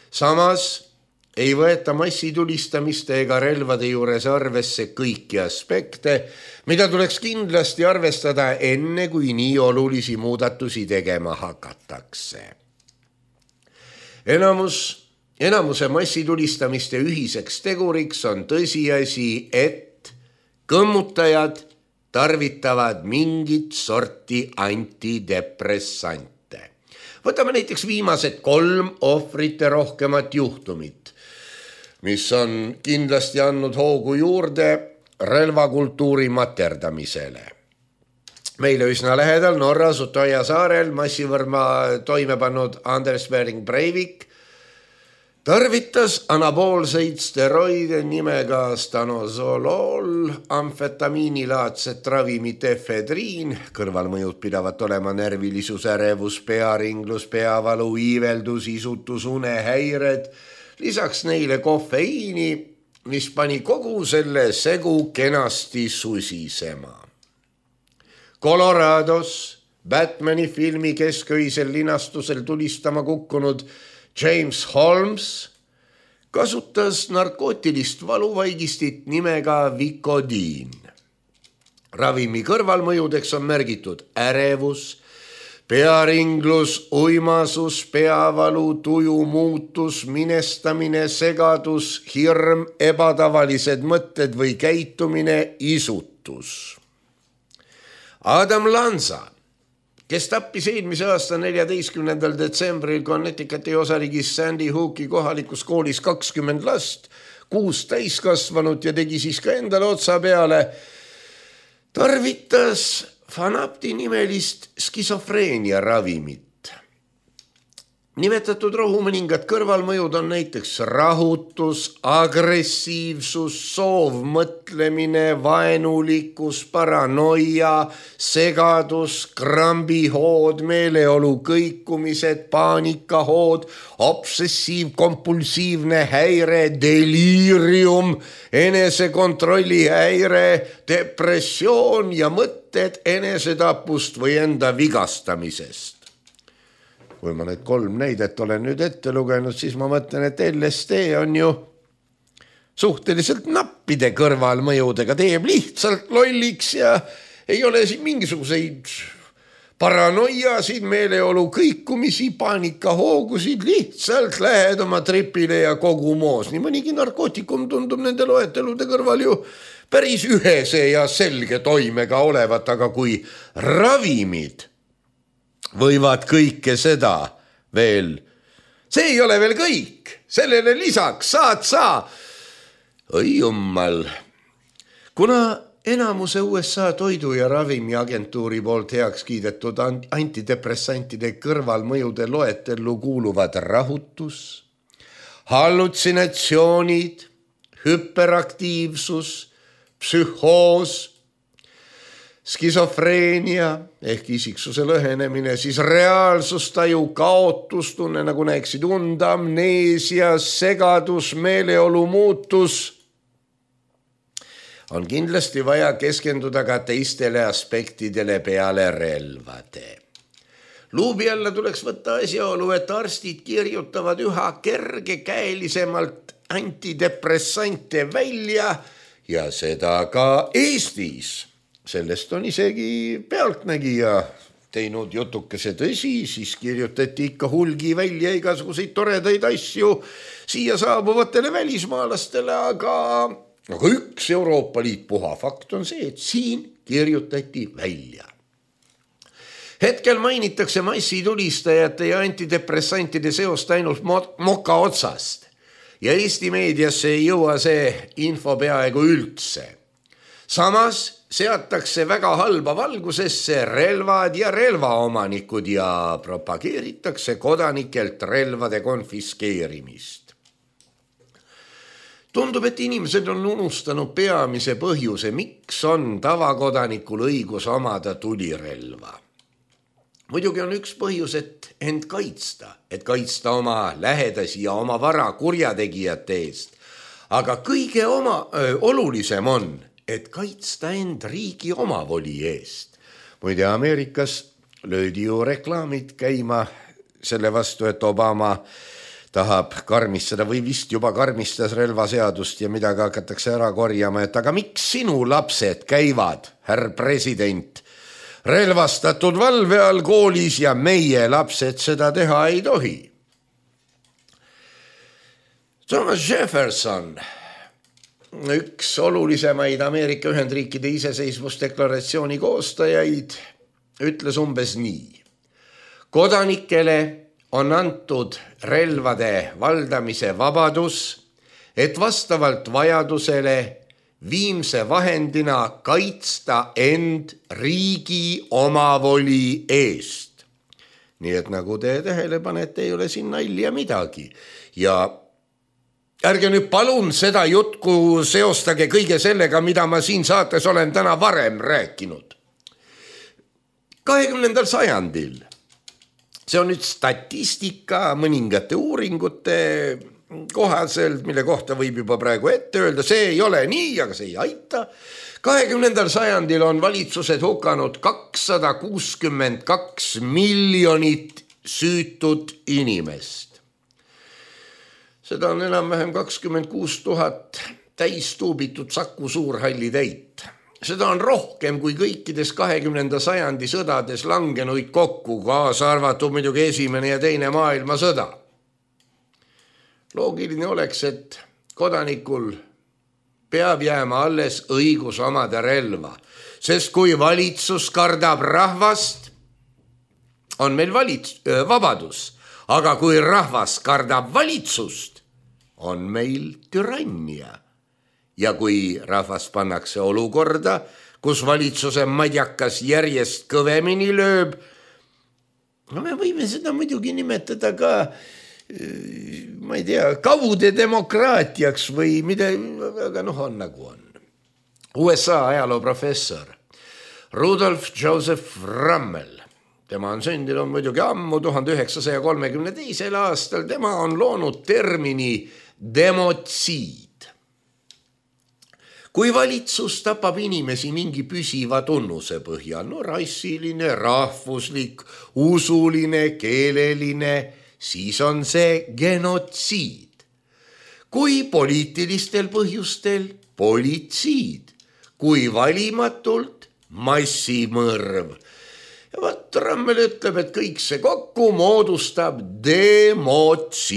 Samas ei võeta massitulistamiste ega relvade juures arvesse kõiki aspekte, mida tuleks kindlasti arvestada enne, kui nii olulisi muudatusi tegema hakatakse. Enamus, enamuse massitulistamiste ühiseks teguriks on tõsiasi, et kõmmutajad tarvitavad mingit sorti antidepressante. Võtame näiteks viimased kolm ohvrite rohkemat juhtumit, mis on kindlasti andnud hoogu juurde relvakultuuri materdamisele. Meile üsna lähedal Norras Utoja saarel massivõrma toime pannud Anders Behring Breivik tarvitas anaboolseid steroide nimega stanozolol, amfetamiinilaadset ravimit efedriin, kõrvalmõjud pidavat olema närvilisus, ärevus, pearinglus, peavalu, iiveldus, isutus, unehäired, lisaks neile kofeiini, mis pani kogu selle segu kenasti susisema. Colorados Batmani filmi kesköisel linastusel tulistama kukkunud James Holmes kasutas narkootilist valuvaigistit nimega Vicodin. Ravimi kõrvalmõjudeks on märgitud ärevus, pearinglus, uimasus, peavalu, tuju muutus, minestamine, segadus, hirm, ebatavalised mõtted või käitumine, isutus. Adam Lanza, kes tappis eelmise aasta neljateistkümnendal detsembril Connecticuti osariigis Sandy Hooki kohalikus koolis kakskümmend last, kuus täiskasvanut ja tegi siis ka endale otsa peale, tarvitas Fanapti nimelist skisofreenia ravimit. Nimetatud rohu mõningad kõrvalmõjud on näiteks rahutus, agressiivsus, soovmõtlemine, vaenulikkus, paranoia, segadus, krambihood, meeleolu kõikumised, paanikahood, obsessiivkompulsiivne häire, deliirium, enesekontrolli häire, depressioon ja mõtted enesetapust või enda vigastamisest. Kui ma need kolm näidet olen nüüd ette lugenud, siis ma mõtlen, et L S D on ju suhteliselt nappide kõrvalmõjudega, teeb lihtsalt lolliks ja ei ole siin mingisuguseid paranoiasid, meeleolu kõikumisi, paanikahoogusid, lihtsalt lähed oma tripile ja kogu moos. Nii mõnigi narkootikum tundub nende loetelude kõrval ju päris ühese ja selge toimega olevat, aga kui ravimid võivad kõike seda veel. See ei ole veel kõik. Sellele lisaks saad sa. Oi jummal. Kuna enamuse U S A toidu- ja ravimiagentuuri poolt heaks kiidetud antidepressantide kõrvalmõjude loetellu kuuluvad rahutus, hallutsinatsioonid, hüperaktiivsus, psühhoos, skisofreenia ehk isiksuse lõhenemine, siis reaalsustaju kaotustunne, nagu näeksid und, amneesia, segadus, meeleolu muutus, on kindlasti vaja keskenduda ka teistele aspektidele peale relvade. Luubi alla tuleks võtta asjaolu, et arstid kirjutavad üha kergekäelisemalt antidepressante välja ja seda ka Eestis. Sellest on isegi pealtnägija teinud jutukese. Tõsi, siis kirjutati ikka hulgi välja igasuguseid toredaid asju siia saabuvatele välismaalastele, aga, aga üks Euroopa Liit puha fakt on see, et siin kirjutati välja. Hetkel mainitakse massitulistajate ja antidepressantide seost ainult moka otsast ja Eesti meediasse ei jõua see info peaaegu üldse. Samas seatakse väga halba valgusesse relvad ja relvaomanikud ja propageeritakse kodanikelt relvade konfiskeerimist. Tundub, et inimesed on unustanud peamise põhjuse, miks on tavakodanikul õigus omada tulirelva. Muidugi on üks põhjus, et end kaitsta, et kaitsta oma lähedasi ja oma vara kurjategijate eest. Aga kõige oma, öö, olulisem on, et kaitsta end riigi omavoli eest. Muide, Ameerikas löödi ju reklaamid käima selle vastu, et Obama tahab karmistada või vist juba karmistas relvaseadust ja midagi hakatakse ära korjama, et aga miks sinu lapsed käivad, härr president, relvastatud valve all koolis ja meie lapsed seda teha ei tohi. Thomas Jefferson, üks olulisemaid Ameerika Ühendriikide iseseisvusdeklaratsiooni koostajaid, ütles umbes nii. Kodanikele on antud relvade valdamise vabadus, et vastavalt vajadusele viimse vahendina kaitsta end riigi omavoli eest. Nii et nagu te tähele panete, ei ole siin nalja midagi. Ja ärge nüüd palun seda jutku seostage kõige sellega, mida ma siin saates olen täna varem rääkinud. kahekümnendal sajandil, see on nüüd statistika mõningate uuringute kohaselt, mille kohta võib juba praegu ette öelda, see ei ole nii, aga see ei aita. kahekümnendal sajandil on valitsused hukanud kakssada kuuskümmend kaks miljonit süütut inimest. Seda on enam-vähem kakskümmend kuus tuhat täistuubitud Saku Suurhalli täit. Seda on rohkem kui kõikides kahekümnenda sajandi sõdades langenuid kokku, kaasa arvatud muidugi esimene ja teine maailmasõda. Loogiline oleks, et kodanikul peab jääma alles õigus omada relva, sest kui valitsus kardab rahvast, on meil valits- vabadus, aga kui rahvas kardab valitsust, on meil türannia. Ja kui rahvas pannakse olukorda, kus valitsuse madjakas järjest kõvemini lööb. No me võime seda muidugi nimetada ka, ma ei tea, kaude demokraatiaks või mida, aga noh, on nagu on. U S A ajaloo professor Rudolf Joseph Rummel, tema on sündinud muidugi ammu tuhande üheksasaja kolmekümne teisel aastal, tema on loonud termini demotsiid. Kui valitsus tapab inimesi mingi püsiva tunnuse põhjal, no rassiline, rahvuslik, usuline, keeleline, siis on see genotsiid. Kui poliitilistel põhjustel, politsiid. Kui valimatult, massimõrv. Ja vaat Rummel ütleb, et kõik see kokku moodustab demotsiidi.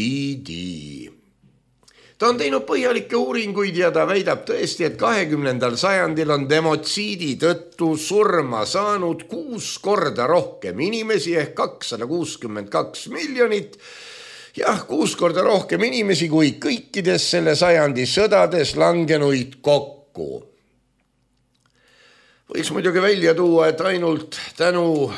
Ta on teinud põhjalikke uuringuid ja ta väidab tõesti, et kahekümnendal sajandil on demotsiidi tõttu surma saanud kuus korda rohkem inimesi ehk kakssada kuuskümmend kaks miljonit. Jah, kuus korda rohkem inimesi kui kõikides selle sajandi sõdades langenuid kokku. Võiks muidugi välja tuua, et ainult tänu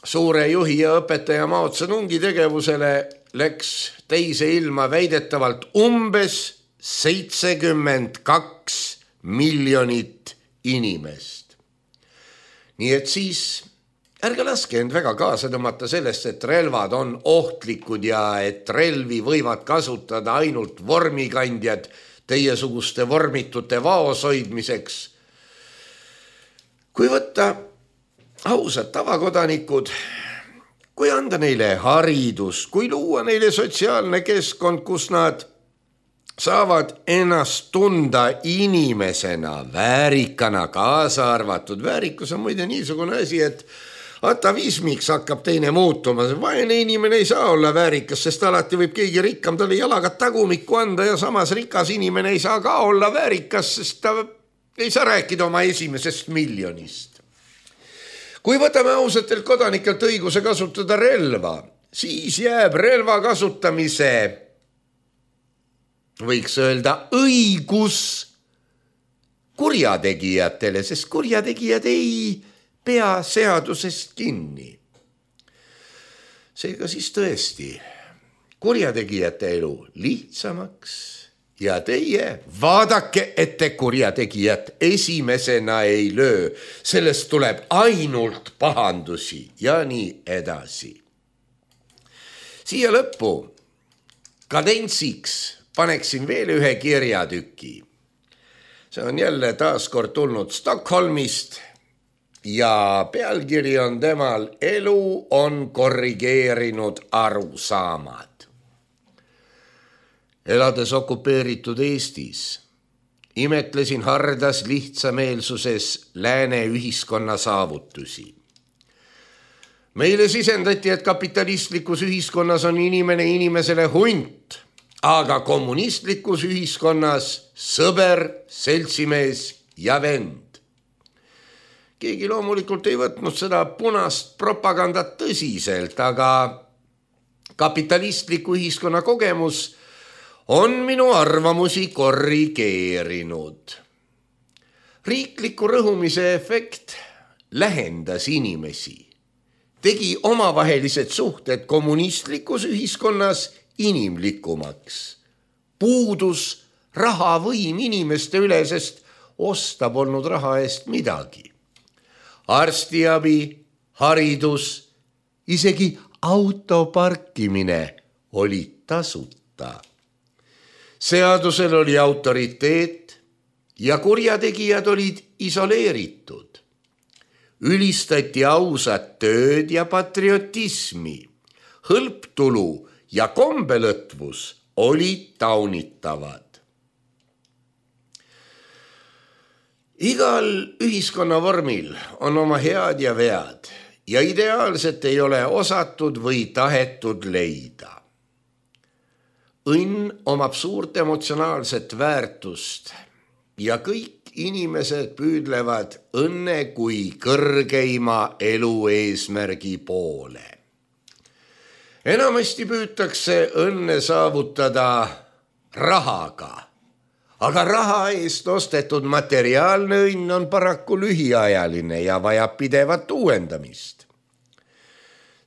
suure juhi ja õpetaja Mao Zedongi tegevusele läks teise ilma väidetavalt umbes seitsekümmend kaks miljonit inimest. Nii et siis ärge laske end väga kaasa tõmmata sellest, et relvad on ohtlikud ja et relvi võivad kasutada ainult vormikandjad teiesuguste vormitute vaos hoidmiseks. Kui võtta ausad tavakodanikud, kui anda neile haridus, kui luua neile sotsiaalne keskkond, kus nad saavad ennast tunda inimesena, väärikana, kaasa arvatud. Väärikus on muide niisugune asi, et atavismiks hakkab teine muutuma. Vaene inimene ei saa olla väärikas, sest alati võib keegi rikkam talle jalaga tagumikku anda ja samas rikas inimene ei saa ka olla väärikas, sest ta ei saa rääkida oma esimesest miljonist. Kui võtame ausatelt kodanikelt õiguse kasutada relva, siis jääb relva kasutamise, võiks öelda, õigus kurjategijatele, sest kurjategijad ei pea seadusest kinni. Seega siis tõesti, kurjategijate elu lihtsamaks ja teie vaadake, et te kurjategijat esimesena ei löö. Sellest tuleb ainult pahandusi ja nii edasi. Siia lõppu kadentsiks paneksin veel ühe kirjatüki. See on jälle taaskord tulnud Stockholmist ja pealkiri on temal Elu on korrigeerinud arusaamad. Elades okupeeritud Eestis, imetlesin hardas lihtsameelsuses lääne ühiskonna saavutusi. Meile sisendati, et kapitalistlikus ühiskonnas on inimene inimesele hunt, aga kommunistlikus ühiskonnas sõber, seltsimees ja vend. Keegi loomulikult ei võtnud seda punast propagandat tõsiselt, aga kapitalistliku ühiskonna kogemus on minu arvamusi korrigeerinud. Riikliku rõhumise efekt lähendas inimesi, tegi omavahelised suhted kommunistlikus ühiskonnas inimlikumaks. Puudus rahavõim inimeste üle, sest osta polnud raha eest midagi. Arstiabi, haridus, isegi auto parkimine oli tasuta. Seadusel oli autoriteet ja kurjategijad olid isoleeritud. Ülistati ausat tööd ja patriotismi. Hõlptulu ja kombelõtvus olid taunitavad. Igal ühiskonnavormil on oma head ja vead ja ideaalset ei ole osatud või tahetud leida. Õnn omab suurt emotsionaalset väärtust ja kõik inimesed püüdlevad õnne kui kõrgeima elu eesmärgi poole. Enamasti püütakse õnne saavutada rahaga, aga raha eest ostetud materiaalne õnn on paraku lühiajaline ja vajab pidevat uuendamist.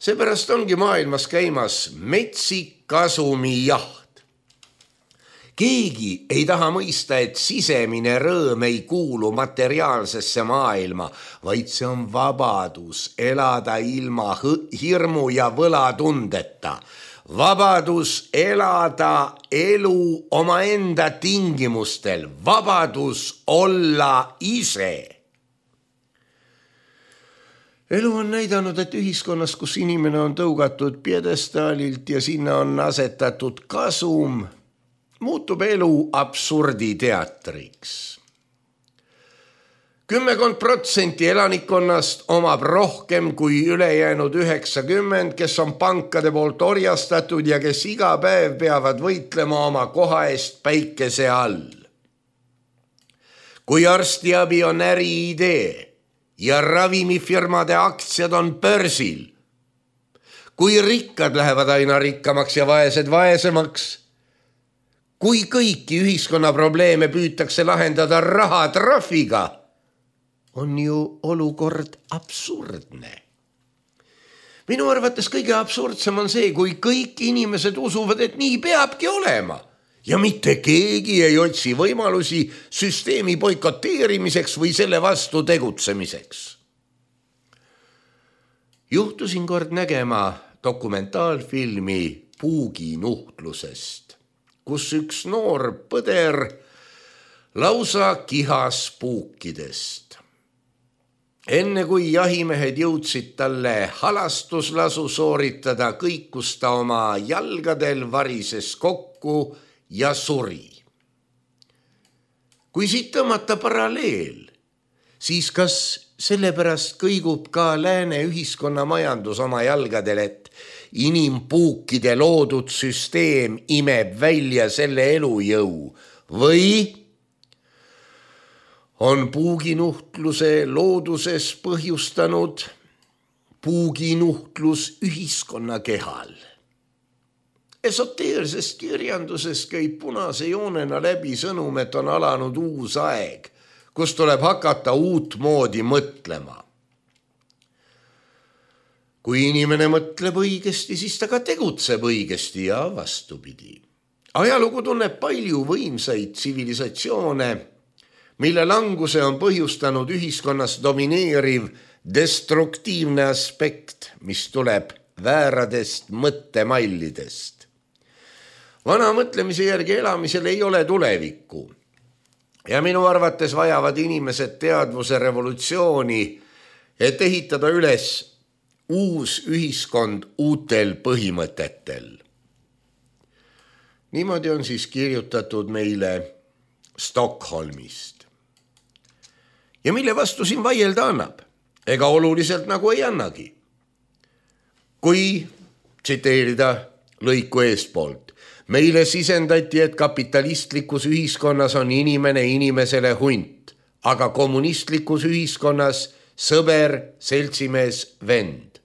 Seepärast ongi maailmas käimas metsik kasumijaht. Keegi ei taha mõista, et sisemine rõõm ei kuulu materiaalsesse maailma, vaid see on vabadus elada ilma hirmu ja võlatundeta. Vabadus elada elu omaenda tingimustel, vabadus olla ise. Elu on näidanud, et ühiskonnas, kus inimene on tõugatud piedestaalilt ja sinna on asetatud kasum, muutub elu absurditeatriks. Kümmekond protsenti elanikkonnast omab rohkem kui ülejäänud üheksakümmend, kes on pankade poolt orjastatud ja kes iga päev peavad võitlema oma koha eest päikese all. Kui arstiabi on äriidee ja ravimifirmade aktsiad on börsil, kui rikkad lähevad aina rikkamaks ja vaesed vaesemaks, kui kõiki ühiskonna probleeme püütakse lahendada rahatrahviga, on ju olukord absurdne. Minu arvates kõige absurdsem on see, kui kõik inimesed usuvad, et nii peabki olema ja mitte keegi ei otsi võimalusi süsteemi boikoteerimiseks või selle vastu tegutsemiseks. Juhtusin kord nägema dokumentaalfilmi puuginuhtlusest, kus üks noor põder lausa kihas puukidest. Enne kui jahimehed jõudsid talle halastuslasu sooritada, kõikus ta oma jalgadel, varises kokku ja suri. Kui siit tõmmata paralleel, siis kas sellepärast kõigub ka lääne ühiskonna majandus oma jalgadel, et inimpuukide loodud süsteem imeb välja selle elujõu või on puuginuhtluse looduses põhjustanud puuginuhtlus ühiskonna kehal. Esoteersest kirjandusest käib punase joonena läbi sõnum, et on alanud uus aeg, kus tuleb hakata uut moodi mõtlema. Kui inimene mõtleb õigesti, siis ta ka tegutseb õigesti ja vastupidi. Ajalugu tunneb palju võimsaid tsivilisatsioone, mille languse on põhjustanud ühiskonnas domineeriv destruktiivne aspekt, mis tuleb vääradest mõttemallidest. Vana mõtlemise järgi elamisel ei ole tulevikku ja minu arvates vajavad inimesed teadvuse revolutsiooni, et ehitada üles uus ühiskond uutel põhimõtetel. Niimoodi on siis kirjutatud meile Stockholmist. Ja mille vastu siin vaielda annab? Ega oluliselt nagu ei annagi. Kui tsiteerida lõiku eespoolt, meile sisendati, et kapitalistlikus ühiskonnas on inimene inimesele hunt, aga kommunistlikus ühiskonnas sõber, seltsimees, vend.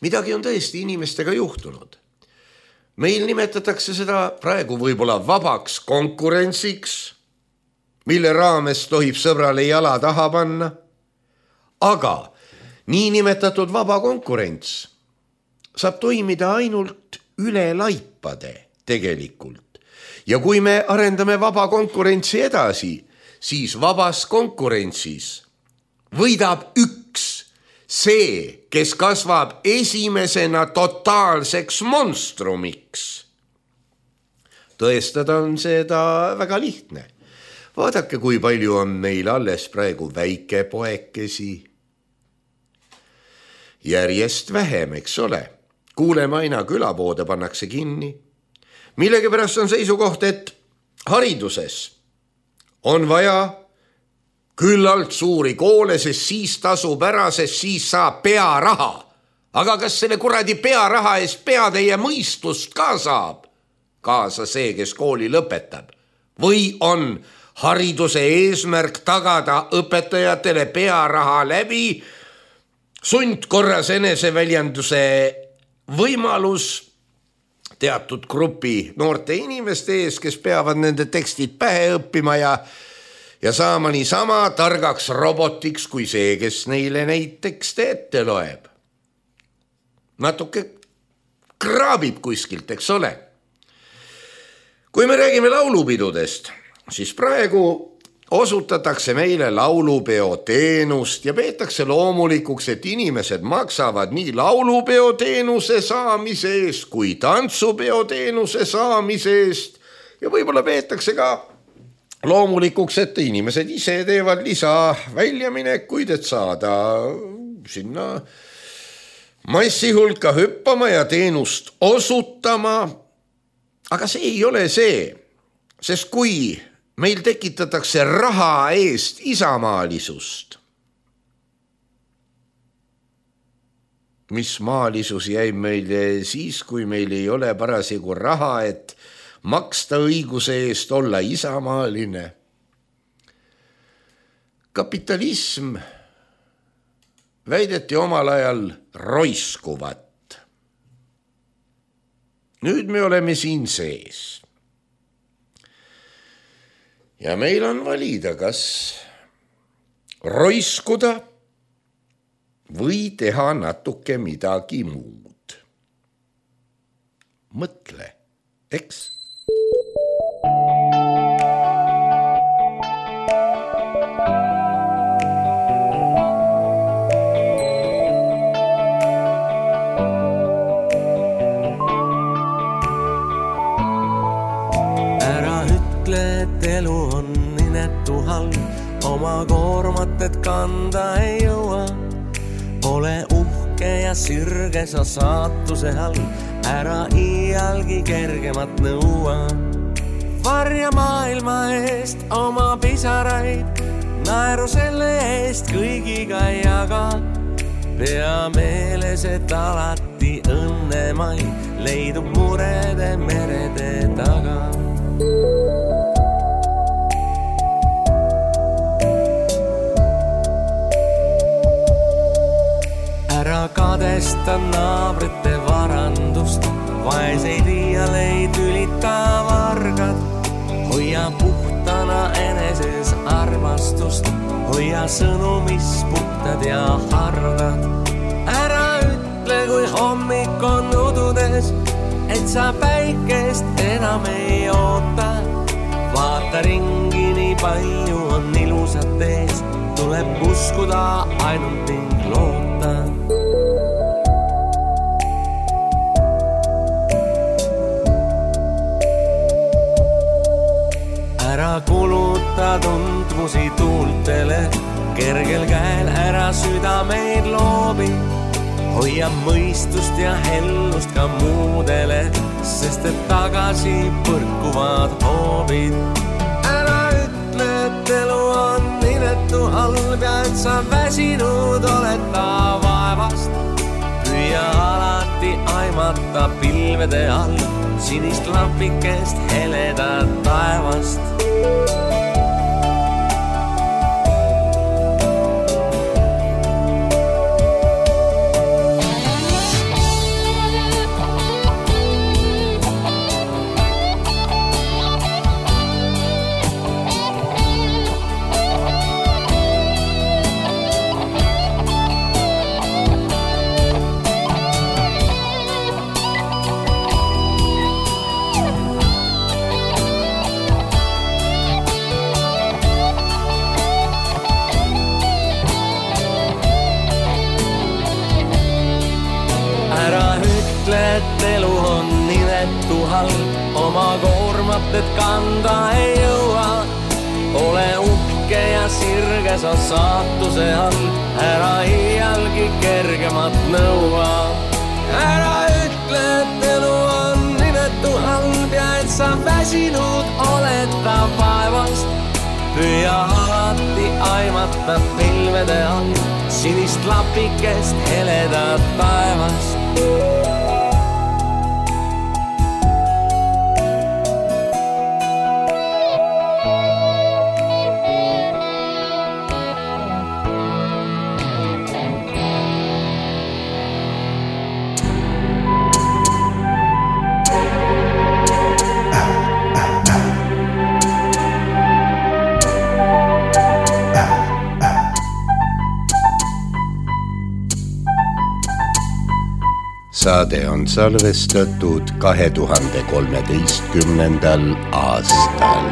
Midagi on tõesti inimestega juhtunud. Meil nimetatakse seda praegu võib-olla vabaks konkurentsiks, mille raames tohib sõbrale jala taha panna, aga nii nimetatud vaba konkurents saab toimida ainult üle laipade tegelikult. Ja kui me arendame vaba konkurentsi edasi, siis vabas konkurentsis võidab üks, see, kes kasvab esimesena totaalseks monstrumiks. Tõestada on seda väga lihtne. Vaadake, kui palju on meil alles praegu väikepoekesi. Järjest vähem, eks ole. Kuuleme aina, külapoode pannakse kinni. Millegipärast on seisukoht, et hariduses on vaja küllalt suuri koole, sest siis tasub ära, sest siis saab pearaha. Aga kas selle kuradi pearaha eest peatäie mõistust ka saab? Kaasa see, kes kooli lõpetab. Või on hariduse eesmärk tagada õpetajatele pearaha läbi sundkorras eneseväljenduse võimalus, teatud grupi noorte inimeste ees, kes peavad nende tekstid pähe õppima ja, ja saama nii sama targaks robotiks kui see, kes neile neid tekste ette loeb. Natuke kraabib kuskilt, eks ole. Kui me räägime laulupidudest, siis praegu osutatakse meile laulupeo teenust ja peetakse loomulikuks, et inimesed maksavad nii laulupeo teenuse saamise eest kui tantsupeo teenuse saamise eest ja võib-olla peetakse ka loomulikuks, et inimesed ise teevad lisa väljaminekuid, et saada sinna massi hulka hüppama ja teenust osutama. Aga see ei ole see, sest kui meil tekitatakse raha eest isamaalisust, mis maalisus jäi meil siis, kui meil ei ole parasjagu raha, et maksta õiguse eest olla isamaaline. Kapitalism väideti omal ajal roiskuvat. Nüüd me oleme siin sees. Ja meil on valida, kas roiskuda või teha natuke midagi muud. Mõtle, eks? Elu on inetu halb, oma koormat, et kanda ei jõua. Ole uhke ja sirge sa saatuse all, ära iialgi kergemat nõua. Varja maailma eest oma pisaraid, naeru selle eest kõigiga jaga. Pea meeles, et alati õnnemai leidub murede merede taga. Ära kadesta naabrite varandust, vaeseid iialeid ülita vargad. Hoia puhtana eneses armastust, hoia sõnu, mis puhtad ja hardad. Ära ütle, kui hommik on ududes, et sa päikest enam ei oota. Vaata ringi, nii palju on ilusat ees, tuleb uskuda ainult ning loota. Ära kuluta tundmusi tuultele, kergel käel ära südameid loobi. Hoia mõistust ja hellust ka muudele, sest et tagasi põrkuvad hoobid. Ära ütle, et elu on inetu halb ja et sa väsinud oled ta vaevast. Püüa alati aimata pilvede all sinist lampikest heledat taevast. Et elu on inetu halb, oma koormat, et kanda ei jõua. Ole uhke ja sirge sa saatuse all, ära iialgi kergemat nõua. Ära ütle, et elu on inetu halb ja et sa väsinud oled ta vaevast. Püüa alati aimata pilvede all sinist lapikest heledat taevast. saade on salvestatud kahe tuhande kolmeteistkümnendal aastal.